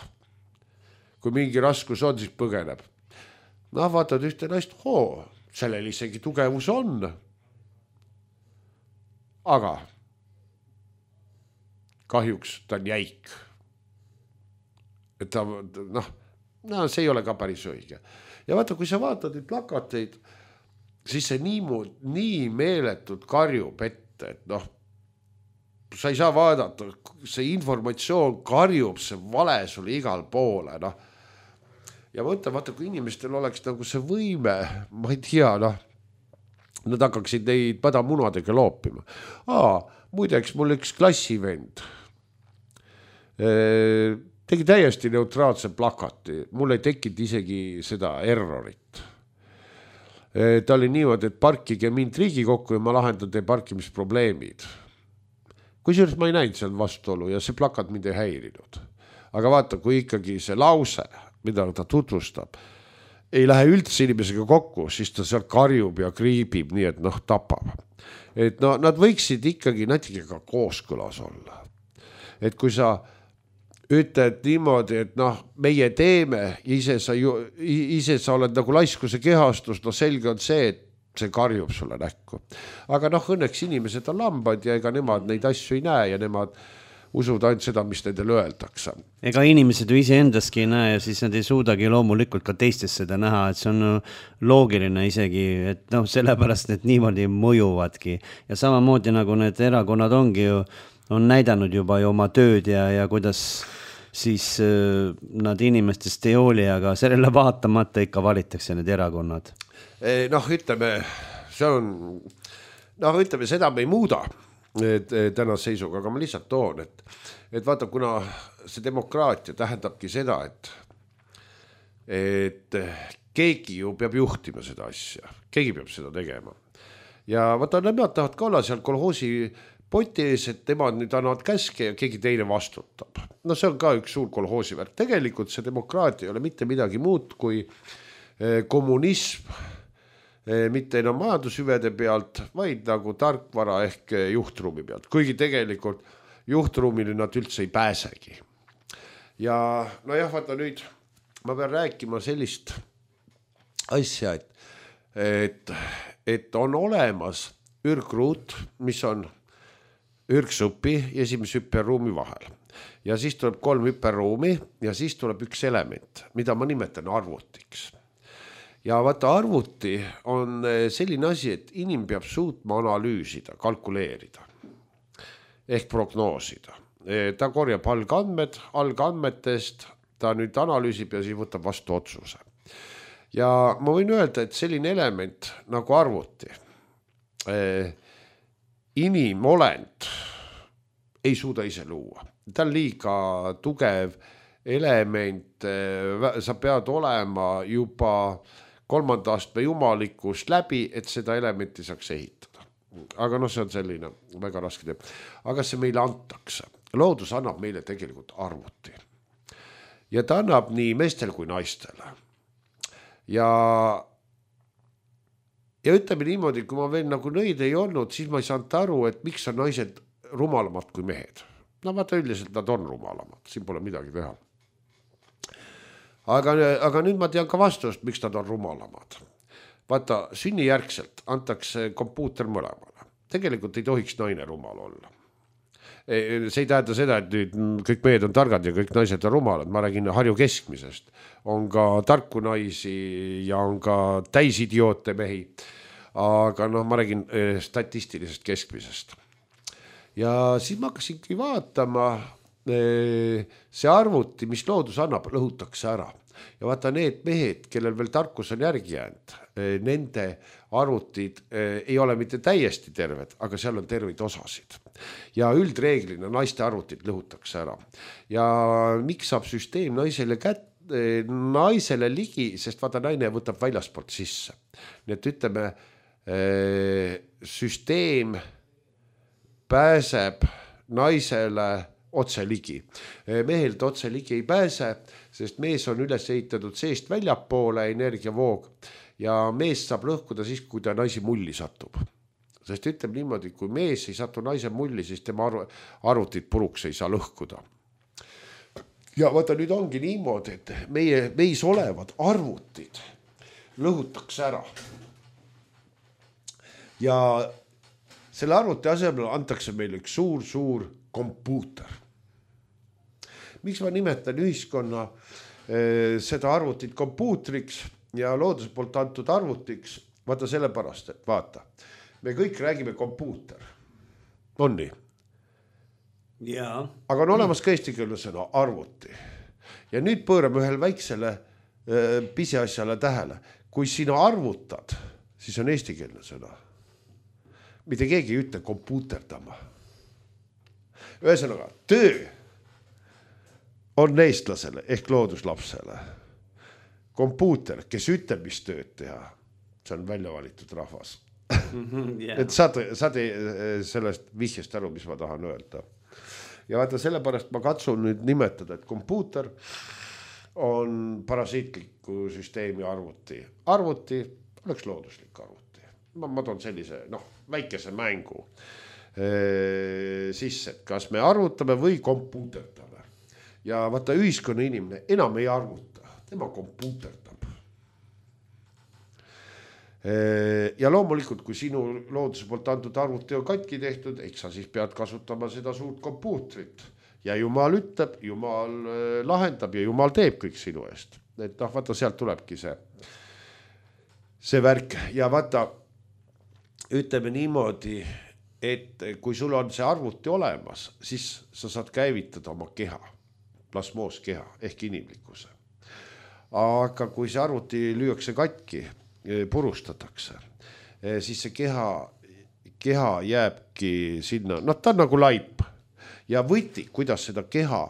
kui mingi raskus on, siis põgeneb. Noh, vaatad ühte naist, hoo, sellel isegi tugevus on. Aga kahjuks ta on jäik. Et ta, noh, no, see ei ole ka päris õige. Ja vaata, kui sa vaatad neid plakateid, siis see nii, nii meeletult karjub ette, et noh, sa ei saa vaadata, see informatsioon karjub, see vale sulle igal poole, noh. Ja võtta, vaata, kui inimestel oleks nagu see võime, ma ei tea, noh, nad hakkaksid neid padamunadega loopima. Aa, muideks mul üks klassivend tegi täiesti neutraalse plakati. Mul ei tekkinud isegi seda errorit. Ta oli niimoodi, et parkige mind Riigikokku ja ma lahendan teie parkimisprobleemid. Kusjuures ma ei näinud seal vastuolu ja see plakat mind ei häirinud. Aga vaata, kui ikkagi see lause, mida ta tutvustab, ei lähe üldse inimesega kokku, siis ta seal karjub ja kriibib nii, et noh, tapab. et no nad võiksid ikkagi natuke ka kooskõlas olla. Et kui sa ütled niimoodi, et noh, meie teeme, ise sa, ju, ise sa oled nagu laiskuse kehastus, no selge on see, et see karjub sulle näkku. Aga noh, õnneks inimesed on lambad ja ega nemad neid asju ei näe ja nemad usuvad ainult seda, mis nendele öeldakse. Ega inimesed ju ise endaski ei näe ja siis nad ei suudagi loomulikult ka teistes seda näha, et see on loogiline isegi, et noh, sellepärast need niimoodi mõjuvadki. Ja samamoodi nagu need erakonnad ongi ju, on näidanud juba ju oma tööd ja, ja kuidas siis äh, nad inimestest ei hooli, aga sellele vaatamata ikka valitakse need erakonnad. Noh, ütleme, see on, noh, ütleme, seda me ei muuda et, täna seisuga, aga ma lihtsalt toon, et, et vaata, kuna see demokraatia tähendabki seda, et, et keegi ju peab juhtima seda asja, keegi peab seda tegema. Ja vaata, nemad tahavad ka olla seal kolhoosi poti ees, et nemad nüüd annavad käske ja keegi teine vastutab. No see on ka üks suur kolhoosi värk. Tegelikult see demokraatia ei ole mitte midagi muud kui kommunism, mitte enam majandushüvede pealt, vaid nagu tarkvara ehk juhtruumi pealt. Kuigi tegelikult juhtruumile nad üldse ei pääsegi. Ja no jah, vaata nüüd, ma pean rääkima sellist asja, et, et, et on olemas ürgruut, mis on ürgsupi ja esimese hüpperuumi vahel. Ja siis tuleb kolm hüpperuumi ja siis tuleb üks element, mida ma nimetan arvutiks. Ja vaata, arvuti on selline asi, et inim peab suutma analüüsida, kalkuleerida ehk prognoosida. Ta korjab algandmed, algandmetest ta nüüd analüüsib ja siis võtab vastu otsuse. Ja ma võin öelda, et selline element nagu arvuti, inimolend ei suuda ise luua. Ta on liiga tugev element, sa pead olema juba kolmanda astme jumalikust läbi, et seda elementi saaks ehitada. Aga noh, see on selline väga raske teeb. Aga see meile antakse. Loodus annab meile tegelikult arvuti. Ja ta annab nii meestel kui naistele. Ja, ja ütleme niimoodi, kui ma veel nagu nõid ei olnud, siis ma ei saanud aru, et miks on naised rumalamad kui mehed. No vaata, üldiselt nad on rumalamad, siin pole midagi teha. Aga, aga nüüd ma tean ka vastust, miks nad on rumalamad. Vaata, sünnijärgselt antakse kompuuter mõlemale. Tegelikult ei tohiks naine rumal olla. See ei tähenda seda, et nüüd kõik mehed on targad ja kõik naised on rumalad. Ma räägin Harju keskmisest. On ka tarku naisi ja on ka täisidiootne mehi. Aga noh, ma räägin statistilisest keskmisest. Ja siis ma hakkasingi vaatama, see arvuti, mis loodus annab, lõhutakse ära. Ja vaata, need mehed, kellel veel tarkus on järgi jäänud, nende arvutid ei ole mitte täiesti terved, aga seal on terveid osasid. Ja üldreeglina naiste arvutid lõhutakse ära. Ja miks saab süsteem naisele, kät, naisele ligi, sest vaata, naine võtab väljaspoolt sisse. Nii et ütleme, süsteem pääseb naisele otse ligi. Mehelt otse ligi ei pääse, sest mees on üles ehitatud seest väljapoole energiavoog ja mees saab lõhkuda siis, kui ta naisi mulli satub. Sest ütleb niimoodi, kui mees ei satu naise mulli, siis tema arvutid puruks ei saa lõhkuda. Ja vaata, nüüd ongi niimoodi, et meie, meis olevad arvutid lõhutakse ära. Ja selle arvuti asemel antakse meile üks suur, suur kompuuter. Miks ma nimetan ühiskonna eh, seda arvutit kompuutriks ja looduse poolt antud arvutiks? Vaata sellepärast, et vaata, me kõik räägime kompuuter. On nii? Jaa. Aga on olemas ka eestikeelne sõna arvuti. Ja nüüd pöörame ühel väiksele eh, pisiasjale tähele. Kui sina arvutad, siis on eestikeelne sõna. Mitte keegi ei ütle kompuuterdama. Ühesõnaga, töö on eestlasele ehk looduslapsele. Kompuuter, kes ütleb, mis tööd teha, see on välja valitud rahvas. Yeah. Et saad, saad sellest vihjest aru, mis ma tahan öelda. Ja vaata, sellepärast ma katsun nüüd nimetada, et kompuuter on parasiitliku süsteemi arvuti. Arvuti oleks looduslik arvuti. ma, ma toon sellise noh, väikese mängu e, sisse, et kas me arvutame või kompuuterdame. Ja vaata ühiskonna inimene enam ei arvuta, tema kompuuterdab. E, ja loomulikult, kui sinu looduse poolt antud arvuti on katki tehtud, eks sa siis pead kasutama seda suurt kompuutrit. Ja Jumal ütleb, Jumal lahendab ja Jumal teeb kõik sinu eest. Et noh, vaata, sealt tulebki see, see värk. Ja vaata, ütleme niimoodi, et kui sul on see arvuti olemas, siis sa saad käivitada oma keha, plasmooskeha ehk inimlikkuse. Aga kui see arvuti lüüakse katki, purustatakse, siis see keha, keha jääbki sinna, noh, ta on nagu laip. Ja võti, kuidas seda keha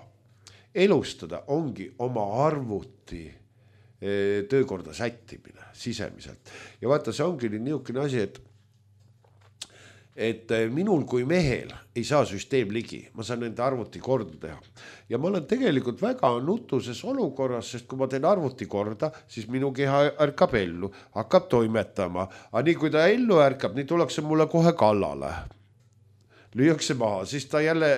elustada, ongi oma arvuti töökorda sättimine sisemiselt. Ja vaata, see ongi niisugune asi, et et minul kui mehel ei saa süsteem ligi, ma saan nende arvuti korda teha. Ja ma olen tegelikult väga nutuses olukorras, sest kui ma teen arvuti korda, siis minu keha ärkab ellu, hakkab toimetama. Aga nii kui ta ellu ärkab, nii tullakse mulle kohe kallale. Lüüakse maha, siis ta jälle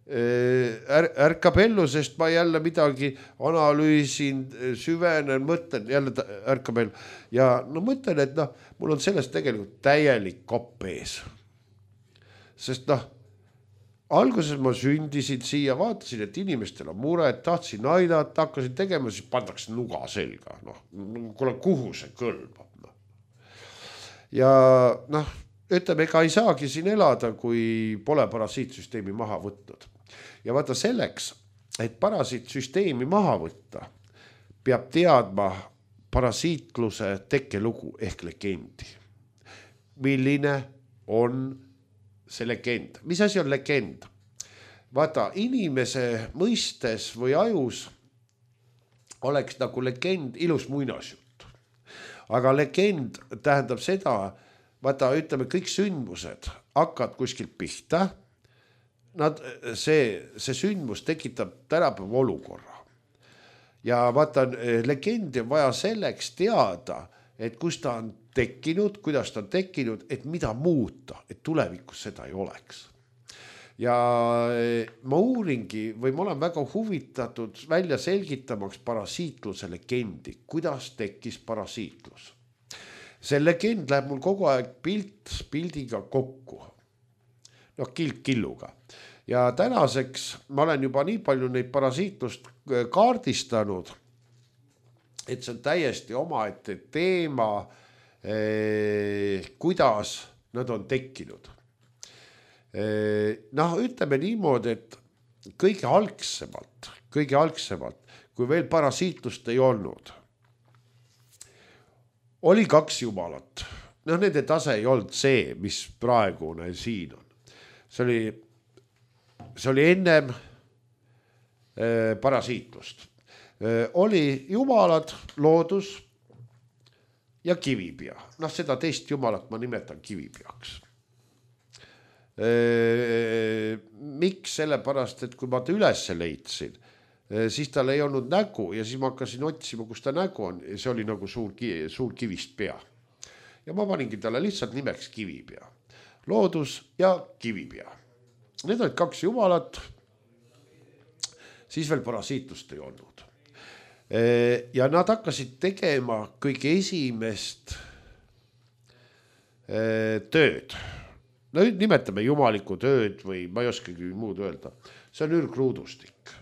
är, ärkab ellu, sest ma jälle midagi analüüsin, süvenen, mõtlen, jälle ärkab ellu. Ja no mõtlen, et noh, mul on sellest tegelikult täielik kopp ees. Sest noh, alguses ma sündisin siia, vaatasin, et inimestel on mure, et tahtsin aidata, hakkasin tegema, siis pandaks nuga selga. Noh, kuule, kuhu see kõlbab? No. Ja noh, ütleme, ega ei saagi siin elada, kui pole parasiitsüsteemi maha võtnud. Ja vaata selleks, et parasiitsüsteemi maha võtta, peab teadma parasiitluse tekkelugu ehk legendi. Milline on see legend? Mis asi on legend? Vaata, inimese mõistes või ajus oleks nagu legend ilus muinasjutt. Aga legend tähendab seda, vaata, ütleme, kõik sündmused hakkavad kuskilt pihta. Nad, see, see sündmus tekitab tänapäeva olukorra. Ja vaata, legendi on vaja selleks teada, et kus ta on tekkinud, kuidas ta on tekkinud, et mida muuta, et tulevikus seda ei oleks. Ja ma uuringi või ma olen väga huvitatud välja selgitamaks parasiitluse legendi, kuidas tekkis parasiitlus. See legend läheb mul kogu aeg pilt pildiga kokku. Noh, kilk killuga. Ja tänaseks ma olen juba nii palju neid parasiitlust kaardistanud, et see on täiesti omaette teema, eh, kuidas nad on tekkinud. Eh, noh, ütleme niimoodi, et kõige algsemalt, kõige algsemalt, kui veel parasiitlust ei olnud, oli kaks jumalat. Noh, nende tase ei olnud see, mis praegune siin on. See oli, see oli ennem eh, parasiitlust. Eh, oli jumalad, loodus ja kivipea. Noh, seda teist jumalat ma nimetan kivipeaks. Eh, miks? Sellepärast, et kui ma ta üles leidsin, eh, siis tal ei olnud nägu ja siis ma hakkasin otsima, kus ta nägu on. Ja see oli nagu suur, suur kivist pea. Ja ma paningi talle lihtsalt nimeks kivipea. Loodus ja kivipea. Need olid kaks jumalat, siis veel parasiitlust ei olnud. Ja nad hakkasid tegema kõige esimest tööd. No nimetame jumaliku tööd või ma ei oskagi muud öelda. See on ürgruudustik.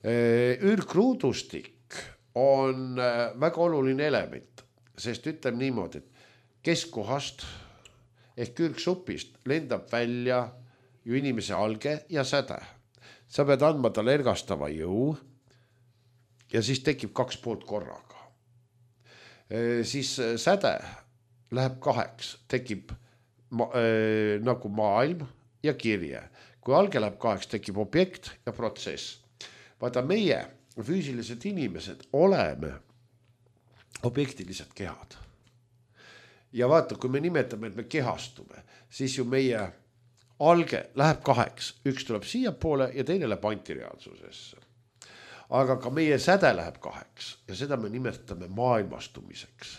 Ürgruudustik on väga oluline element, sest ütleme niimoodi, et keskkohast ehk ürgsupist lendab välja ju inimese alge ja säde. Sa pead andma talle ergastava jõu ja siis tekib kaks poolt korraga. E, siis säde läheb kaheks, tekib ma, e, nagu maailm ja kirje. Kui alge läheb kaheks, tekib objekt ja protsess. Vaata, meie füüsilised inimesed oleme objektilised kehad. Ja vaata, kui me nimetame, et me kehastume, siis ju meie alge läheb kaheks. Üks tuleb siia poole ja teine läheb antireaalsusesse. Aga ka meie säde läheb kaheks ja seda me nimetame maailmastumiseks.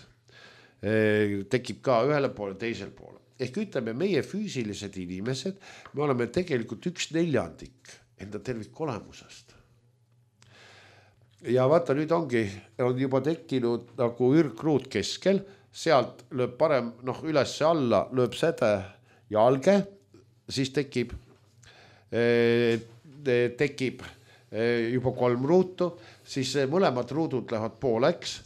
tekib ka ühele poole, teisel poole. Ehk ütleme, meie füüsilised inimesed, me oleme tegelikult üks neljandik enda tervikolemusest. Ja vaata, nüüd ongi, on juba tekkinud nagu ürgruut keskel, sealt lööb parem, noh, üles alla, lööb säde jalge, siis tekib, tekib juba kolm ruutu, siis mõlemad ruudud lähevad pooleks,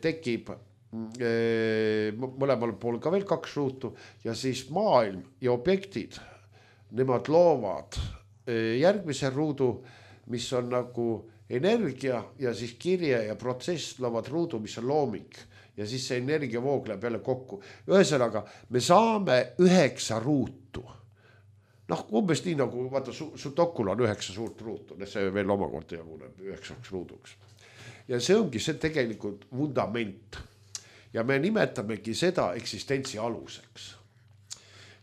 tekib mõlemal pool ka veel kaks ruutu ja siis maailm ja objektid, nemad loovad järgmise ruudu, mis on nagu energia ja siis kirje ja protsess loovad ruudu, mis on looming ja siis see energiavoog läheb jälle kokku. Ühesõnaga, me saame üheksa ruutu. Noh, umbes nii nagu, vaata, su, su dokul on üheksa suurt ruutu, see veel omakorda jaguneb üheksaks ruuduks. Ja see ongi see tegelikult vundament. Ja me nimetamegi seda eksistentsi aluseks.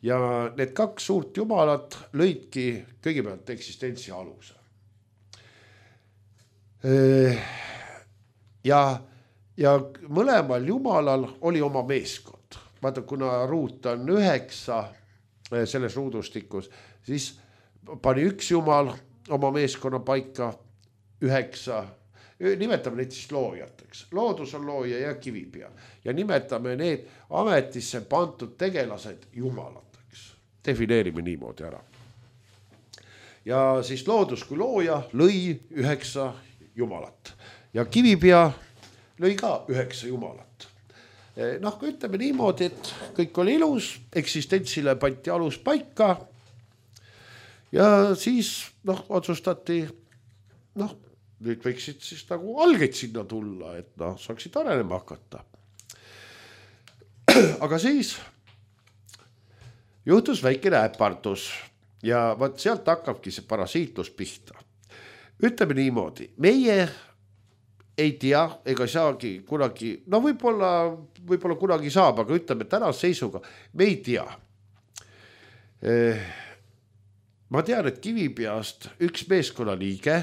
Ja need kaks suurt jumalat lõidki kõigepealt eksistentsi aluse. Ja, ja mõlemal jumalal oli oma meeskond. Vaata, kuna ruut on üheksa selles ruudustikus, siis pani üks jumal oma meeskonna paika üheksa, nimetame neid siis loojateks. Loodus on looja ja kivipea. Ja nimetame need ametisse pandud tegelased jumalateks. Defineerime niimoodi ära. Ja siis loodus kui looja lõi üheksa jumalat. Ja kivipea lõi ka üheksa jumalat. Noh, kui ütleme niimoodi, et kõik oli ilus, eksistentsile pandi alus paika ja siis noh, otsustati, noh, nüüd võiksid siis nagu algeid sinna tulla, et noh, saaksid arenema hakata. Aga siis juhtus väikene äpardus ja vaat sealt hakkabki see parasiitlus pihta. Ütleme niimoodi, meie ei tea, ega saagi kunagi, no võib-olla, võib-olla kunagi saab, aga ütleme tänase seisuga, me ei tea. Ma tean, et Kivipeast üks meeskonna liige,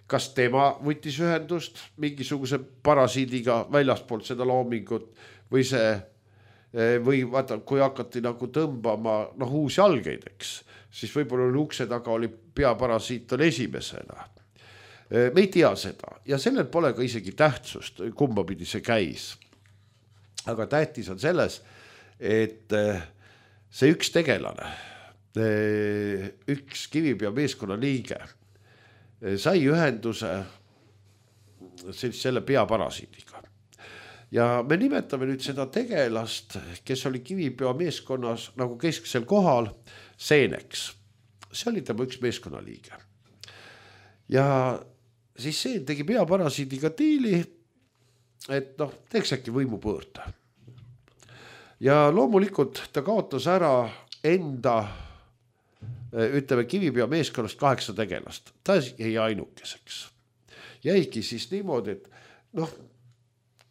kas tema võttis ühendust mingisuguse parasiidiga väljaspoolt seda loomingut või see, või vaata, kui hakati nagu tõmbama noh, uusi algeid, eks, siis võib-olla oli ukse taga oli peaparasiit on esimesena. Me ei tea seda ja sellel pole ka isegi tähtsust, kumba pidi see käis. Aga tähtis on selles, et see üks tegelane, üks Kivipea meeskonna liige sai ühenduse selle peaparasiidiga. Ja me nimetame nüüd seda tegelast, kes oli Kivipea meeskonnas nagu kesksel kohal, Seeneks. See oli tema üks meeskonna liige. Ja siis see tegi peaparasiidiga diili, et noh, teeks äkki võimu pöörda. Ja loomulikult ta kaotas ära enda, ütleme, Kivipea meeskonnast kaheksa tegelast. Ta jäi ainukeseks. Jäigi siis niimoodi, et noh,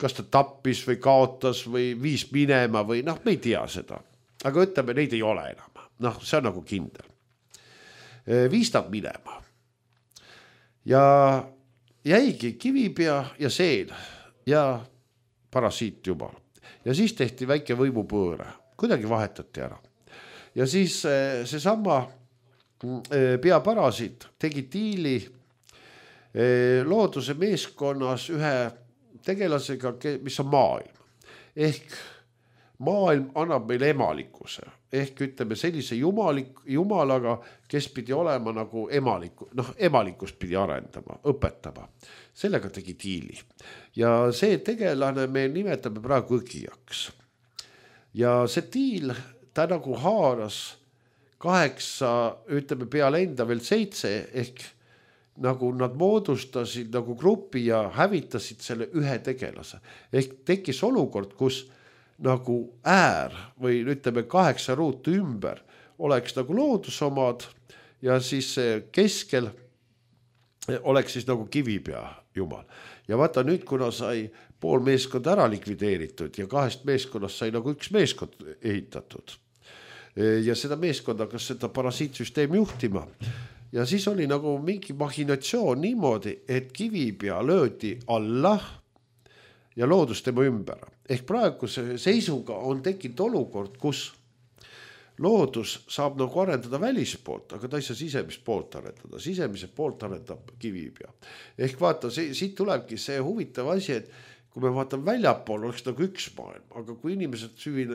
kas ta tappis või kaotas või viis minema või noh, me ei tea seda. Aga ütleme, neid ei ole enam. Noh, see on nagu kindel. Viis nad minema. Ja jäigi Kivipea ja Seen ja parasiit jumal. Ja siis tehti väike võimupööre. Kuidagi vahetati ära. Ja siis see sama peaparasiit tegi diili looduse meeskonnas ühe tegelasega, mis on maailm. Ehk maailm annab meile emalikkuse. Ehk ütleme sellise jumalik, jumalaga, kes pidi olema nagu emaliku, noh, emalikkust pidi arendama, õpetama. Sellega tegi diili. Ja see tegelane me nimetame praegu õgijaks. Ja see diil, ta nagu haaras kaheksa, ütleme peale enda veel seitse, ehk nagu nad moodustasid nagu grupi ja hävitasid selle ühe tegelase. Ehk tekkis olukord, kus nagu äär või ütleme kaheksa ruutu ümber oleks nagu loodusomad ja siis keskel oleks siis nagu Kivipea jumal. Ja vaata nüüd, kuna sai pool meeskond ära likvideeritud ja kahest meeskonnast sai nagu üks meeskond ehitatud. Ja seda meeskond hakkas seda parasiitsüsteemi juhtima. Ja siis oli nagu mingi machinatsioon niimoodi, et Kivipea löödi alla ja loodus tema ümber. ehk praeguse seisuga on tekkinud olukord, kus loodus saab nagu arendada välispoolt, aga ta ei saa sisemist poolt arendada. Sisemise poolt arendab kivipea. Ehk vaata, see, siit tulebki see huvitav asi, et kui me vaatame väljapool, oleks nagu üks maailm, aga kui inimesed süvi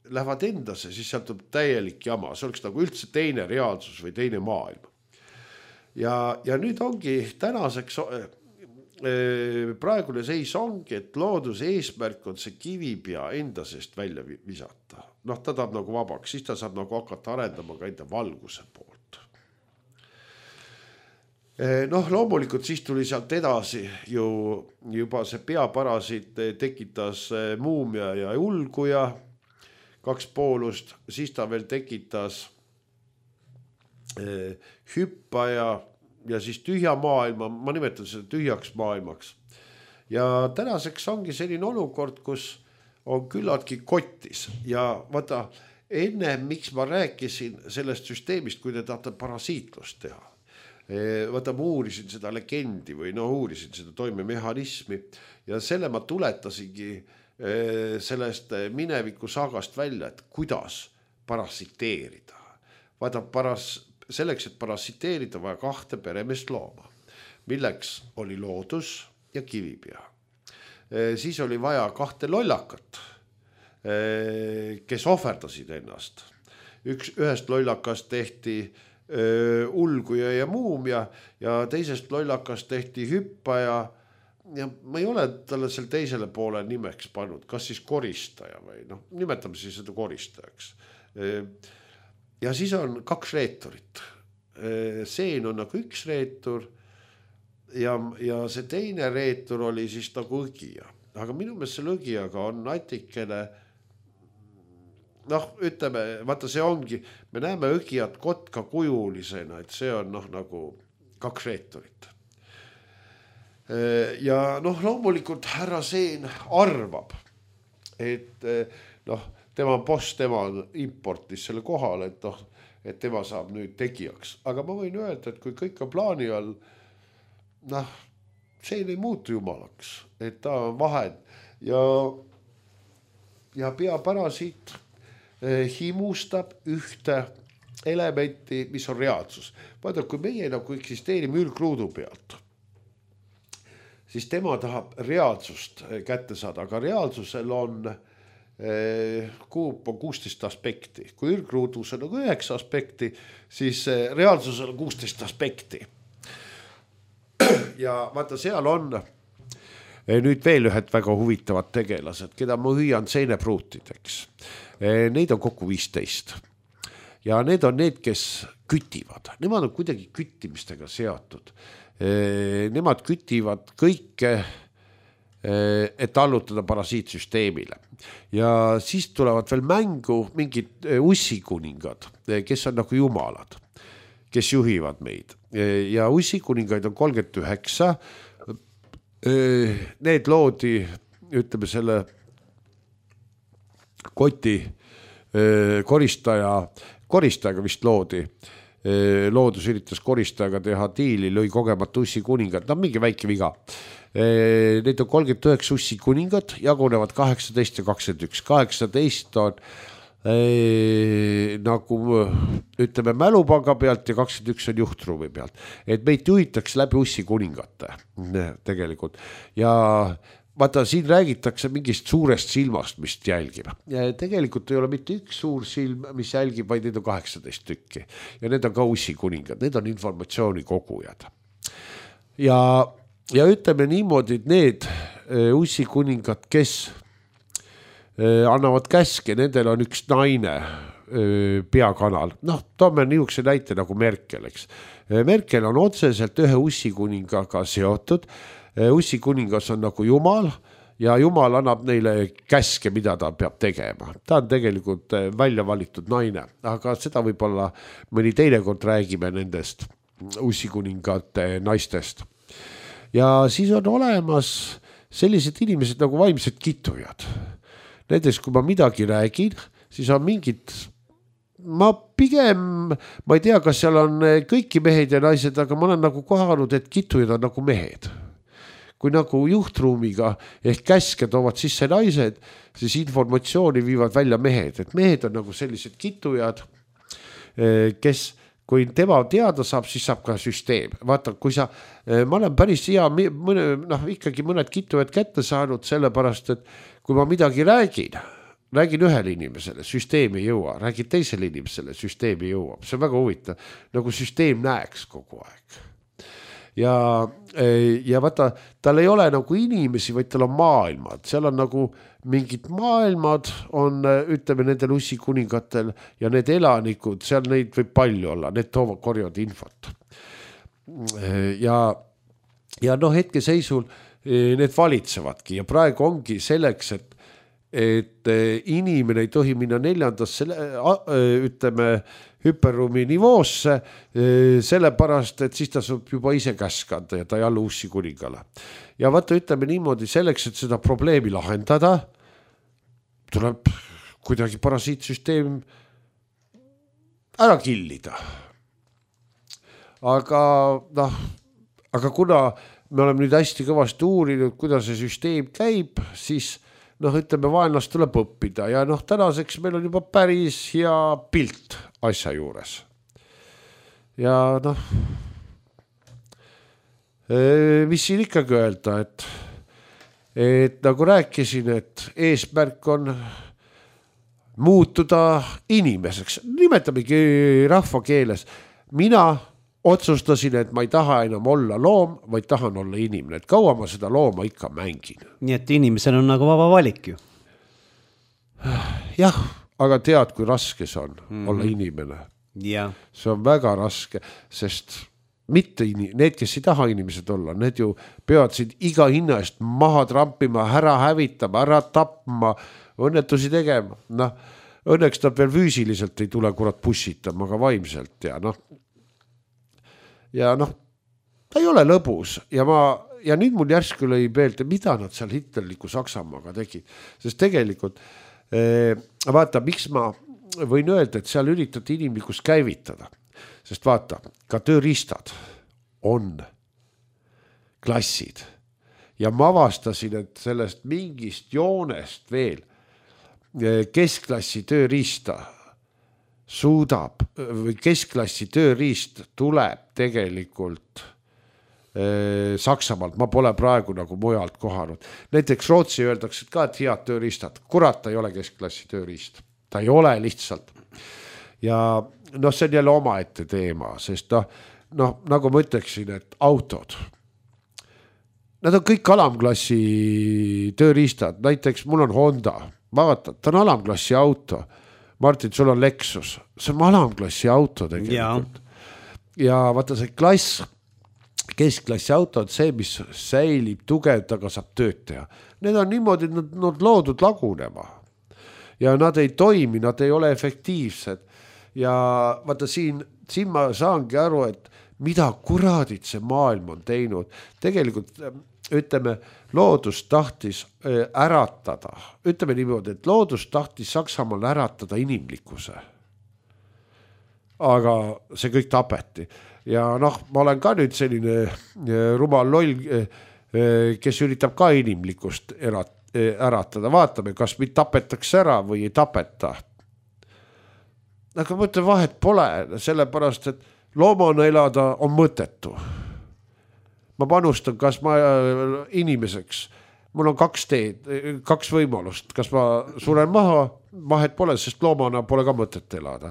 lähevad endasse, siis sealt tuleb täielik jama. See oleks nagu üldse teine reaalsus või teine maailm. Ja, ja nüüd ongi tänaseks praegune seis ongi, et looduse eesmärk on see kivipea enda seest välja visata. Noh, ta tahab nagu vabaks, siis ta saab nagu hakata arendama ka enda valguse poolt. Noh, loomulikult siis tuli sealt edasi ju juba see peaparasit tekitas muumia ja ulguja, kaks poolust, siis ta veel tekitas hüppaja ja siis tühja maailma, ma nimetan seda tühjaks maailmaks. Ja tänaseks ongi selline olukord, kus on küllaltki kotis ja vaata, enne miks ma rääkisin sellest süsteemist, kui te tahate parasiitlust teha. Vaata, ma uurisin seda legendi või no uurisin seda toimemehhanismi ja selle ma tuletasingi sellest mineviku saagast välja, et kuidas parasiteerida. Vaata, paras, selleks, et parasiteerida vaja kahte peremeest looma, milleks oli loodus ja kivipea. Siis oli vaja kahte lollakat, kes ohverdasid ennast. Üks, ühest lollakast tehti ulguja ja muumia ja teisest lollakast tehti hüppaja ja ma ei ole talle seal teisele poole nimeks pannud, kas siis koristaja või noh, nimetame siis seda koristajaks. Ja siis on kaks reeturit. Seen on nagu üks reetur ja, ja see teine reetur oli siis nagu õgija. Aga minu meelest selle õgijaga on natikene, noh, ütleme, vaata see ongi, me näeme õgijat kotka kujulisena, et see on noh, nagu kaks reeturit. Ja noh, loomulikult härra Seen arvab, et noh, tema boss, tema importis selle kohale, et noh, et tema saab nüüd tegijaks. Aga ma võin öelda, et kui kõik on plaani all, noh, see ei muutu jumalaks, et ta on vahend ja, ja peaparasiit himustab ühte elementi, mis on reaalsus. Vaata, kui meie nagu eksisteerime ülgruudu pealt, siis tema tahab reaalsust kätte saada, aga reaalsusel on kuup on kuusteist aspekti. Kui ülgruudus on nagu üheksa aspekti, siis reaalsusel on kuusteist aspekti. Ja vaata, seal on nüüd veel ühed väga huvitavad tegelased, keda ma hüüan seenepruutideks. Neid on kokku viisteist. Ja need on need, kes kütivad. Nemad on kuidagi küttimistega seatud. Nemad kütivad kõike, et allutada parasiitsüsteemile. Ja siis tulevad veel mängu mingid ussikuningad, kes on nagu jumalad, kes juhivad meid. Ja ussikuningaid on kolmkümmend üheksa. Need loodi, ütleme selle koti koristaja, koristajaga vist loodi. Loodus üritas koristajaga teha diili, lõi kogemata ussikuningat. No mingi väike viga. Need on kolmkümmend üheksa ussikuningat, jagunevad kaheksateist ja kakskümmend üks. kaheksateist on nagu ütleme mälupanga pealt ja kakskümmend üks on juhtruumi pealt. Et meid juhitakse läbi ussikuningate tegelikult. Ja vaata, siin räägitakse mingist suurest silmast, mis jälgib. Ja tegelikult ei ole mitte üks suur silm, mis jälgib, vaid need on kaheksateist tükki. Ja need on ka ussikuningad, need on informatsiooni kogujad. Ja, ja ütleme niimoodi, et need ussikuningad, kes annavad käske, nendel on üks naine peakanal. Noh, toome niisuguse näite nagu Merkel, eks. Merkel on otseselt ühe ussikuningaga seotud. Ussikuningas on nagu jumal ja jumal annab neile käske, mida ta peab tegema. Ta on tegelikult välja valitud naine, aga seda võib-olla mõni teine kord räägime nendest ussikuningate naistest. Ja siis on olemas sellised inimesed nagu vaimsed kitujad. Näiteks, kui ma midagi räägin, siis on mingid, ma pigem, ma ei tea, kas seal on kõiki mehed ja naised, aga ma olen nagu kohanud, et kitujad on nagu mehed. kui nagu juhtruumiga ehk käske toovad sisse naised, siis informatsiooni viivad välja mehed, et mehed on nagu sellised kitujad, kes, kui tema teada saab, siis saab ka süsteem. Vaata, kui sa, ma olen päris hea, mõne, noh, ikkagi mõned kitujad kätte saanud, sellepärast, et kui ma midagi räägin, räägin ühele inimesele, süsteem ei jõua, räägin teisele inimesele, süsteem ei jõua. See on väga huvitav, nagu süsteem näeks kogu aeg. Ja, ja vaata, tal ei ole nagu inimesi, vaid tal on maailmad. Seal on nagu mingid maailmad, on, ütleme, nendel ussikuningatel ja need elanikud, seal neid võib palju olla, need toovad korjavad infot. Ja, ja noh, hetke seisul need valitsevadki ja praegu ongi selleks, et et inimene ei tohi minna neljandasse, ütleme, hüperruumi nivoosse, sellepärast, et siis ta saab juba ise käskada ja ta ei allu ussi kuningale. Ja vaata, ütleme niimoodi, selleks, et seda probleemi lahendada, tuleb kuidagi parasiitsüsteem ära killida. Aga, noh, aga kuna me oleme nüüd hästi kõvasti uurinud, kuidas see süsteem käib, siis noh, ütleme, vaenlast tuleb õppida ja noh, tänaseks meil on juba päris hea pilt asja juures. Ja noh, mis siin ikkagi öelda, et, et nagu rääkisin, et eesmärk on muutuda inimeseks, nimetamegi rahva keeles. Mina otsustasin, et ma ei taha enam olla loom, vaid tahan olla inimene, et kaua ma seda looma ikka mängin. Nii et inimesel on nagu vaba valik ju. Jah, aga tead, kui raske see on mm-hmm. olla inimene. Ja. See on väga raske, sest mitte in- need, kes ei taha inimesed olla, need ju peavad siin iga hinna eest maha trampima, ära hävitama, ära tapma, õnnetusi tegema. Noh, õnneks ta veel füüsiliselt ei tule kurat bussitama, aga vaimselt ja noh, ja noh, ta ei ole lõbus ja ma, ja nüüd mul järsku lõi peelt, mida nad seal hitlerliku Saksamaaga tegid, sest tegelikult eh, vaata, miks ma võin öelda, et seal üritati inimlikkust käivitada, sest vaata, ka tööriistad on klassid ja ma avastasin, et sellest mingist joonest veel eh, keskklassi tööriista suudab või keskklassi tööriist tuleb tegelikult eh, Saksamaalt, ma pole praegu nagu mujalt kohanud. Näiteks Rootsi öeldakse ka, et head tööriistad, kurat, ta ei ole keskklassi tööriist, ta ei ole lihtsalt. Ja noh, see on jälle omaette teema, sest noh, noh, nagu ma ütleksin, et autod, nad on kõik alamklassi tööriistad, näiteks mul on Honda, vaata, ta on alamklassi auto. Martin, sul on Lexus, see on alamklassi auto tegelikult. Ja, ja vaata see klass, keskklassi auto on see, mis säilib tugev, aga saab tööd teha. Need on niimoodi, nad, nad loodud lagunema. Ja nad ei toimi, nad ei ole efektiivsed. Ja vaata siin, siin ma saangi aru, et mida kuradid see maailm on teinud. Tegelikult ütleme, loodus tahtis äratada, ütleme niimoodi, et loodus tahtis Saksamaal äratada inimlikkuse. Aga see kõik tapeti. Ja noh, ma olen ka nüüd selline rumal loll, kes üritab ka inimlikkust äratada. Vaatame, kas mind tapetakse ära või ei tapeta. Aga mõtle, vahet pole, sellepärast, et loomana elada on mõttetu. Ma panustan, kas ma inimeseks, mul on kaks teed, kaks võimalust, kas ma suren maha, vahet pole, sest loomana pole ka mõtet elada.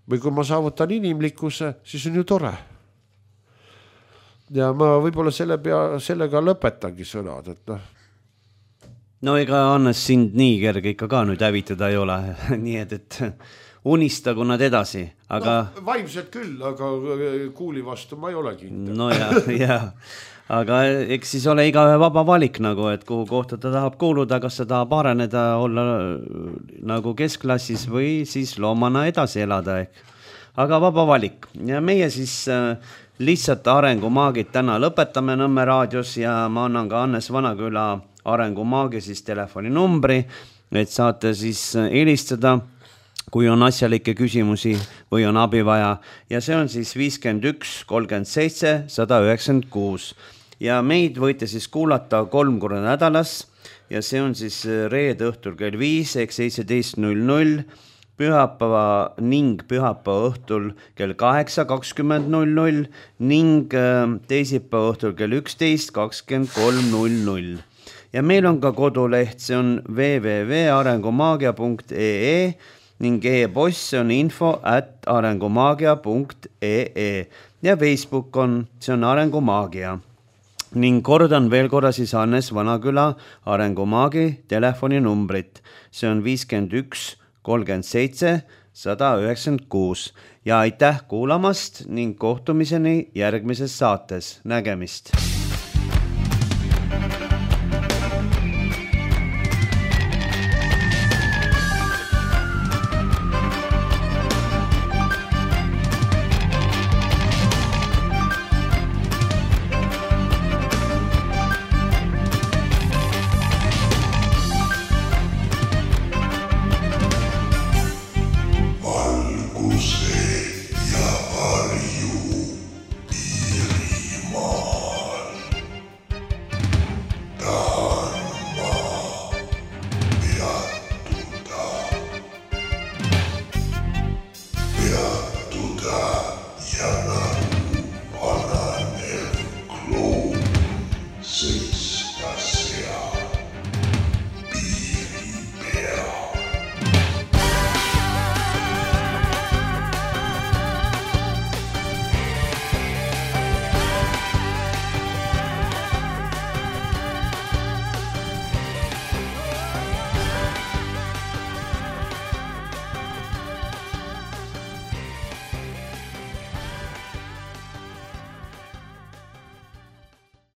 Või kui ma saavutan inimlikkuse, siis on ju tore. Ja ma võib-olla selle pea, sellega lõpetangi sõnad, et noh. No ega Annes sind nii kerge ikka ka nüüd hävitada ei ole, nii et, et unistagu nad edasi, aga no, vaimselt küll, aga kuuli vastu ma ei ole kindel. No ja, ja, aga eks siis ole iga vaba valik nagu, et kuhu kohta ta tahab kuuluda, kas ta tahab areneda, olla nagu keskklassis või siis loomana edasi elada ehk. Aga vaba valik ja meie siis lihtsalt arengumaagid täna lõpetame Nõmme raadios ja ma annan ka Annes Vanaküla arengumaagi siis telefoninumbri, et saate siis helistada, kui on asjalikke küsimusi või on abi vaja. Ja see on siis viiskümmend üks kolmkümmend seitse sada üheksakümmend kuus. ja meid võite siis kuulata kolm korda nädalas ja see on siis reede õhtul kell viis ehk seitseteist null null, pühapäeva ning pühapäeva õhtul kell kaheksa kakskümmend null null ning teisipäeva õhtul kell üksteist kakskümmend kolm null null. Ja meil on ka koduleht, see on w w w punkt arengumaagia punkt e e ning e-post on info at arengumaagia punkt e e ja Facebook on, see on Arengumaagia. Ning kordan veel korra siis Hannes Vanaküla Arengumaagi telefoninumbrit. See on viiskümmend üks kolmkümmend seitse sada üheksakümmend kuus ja aitäh kuulamast ning kohtumiseni järgmises saates. Nägemist!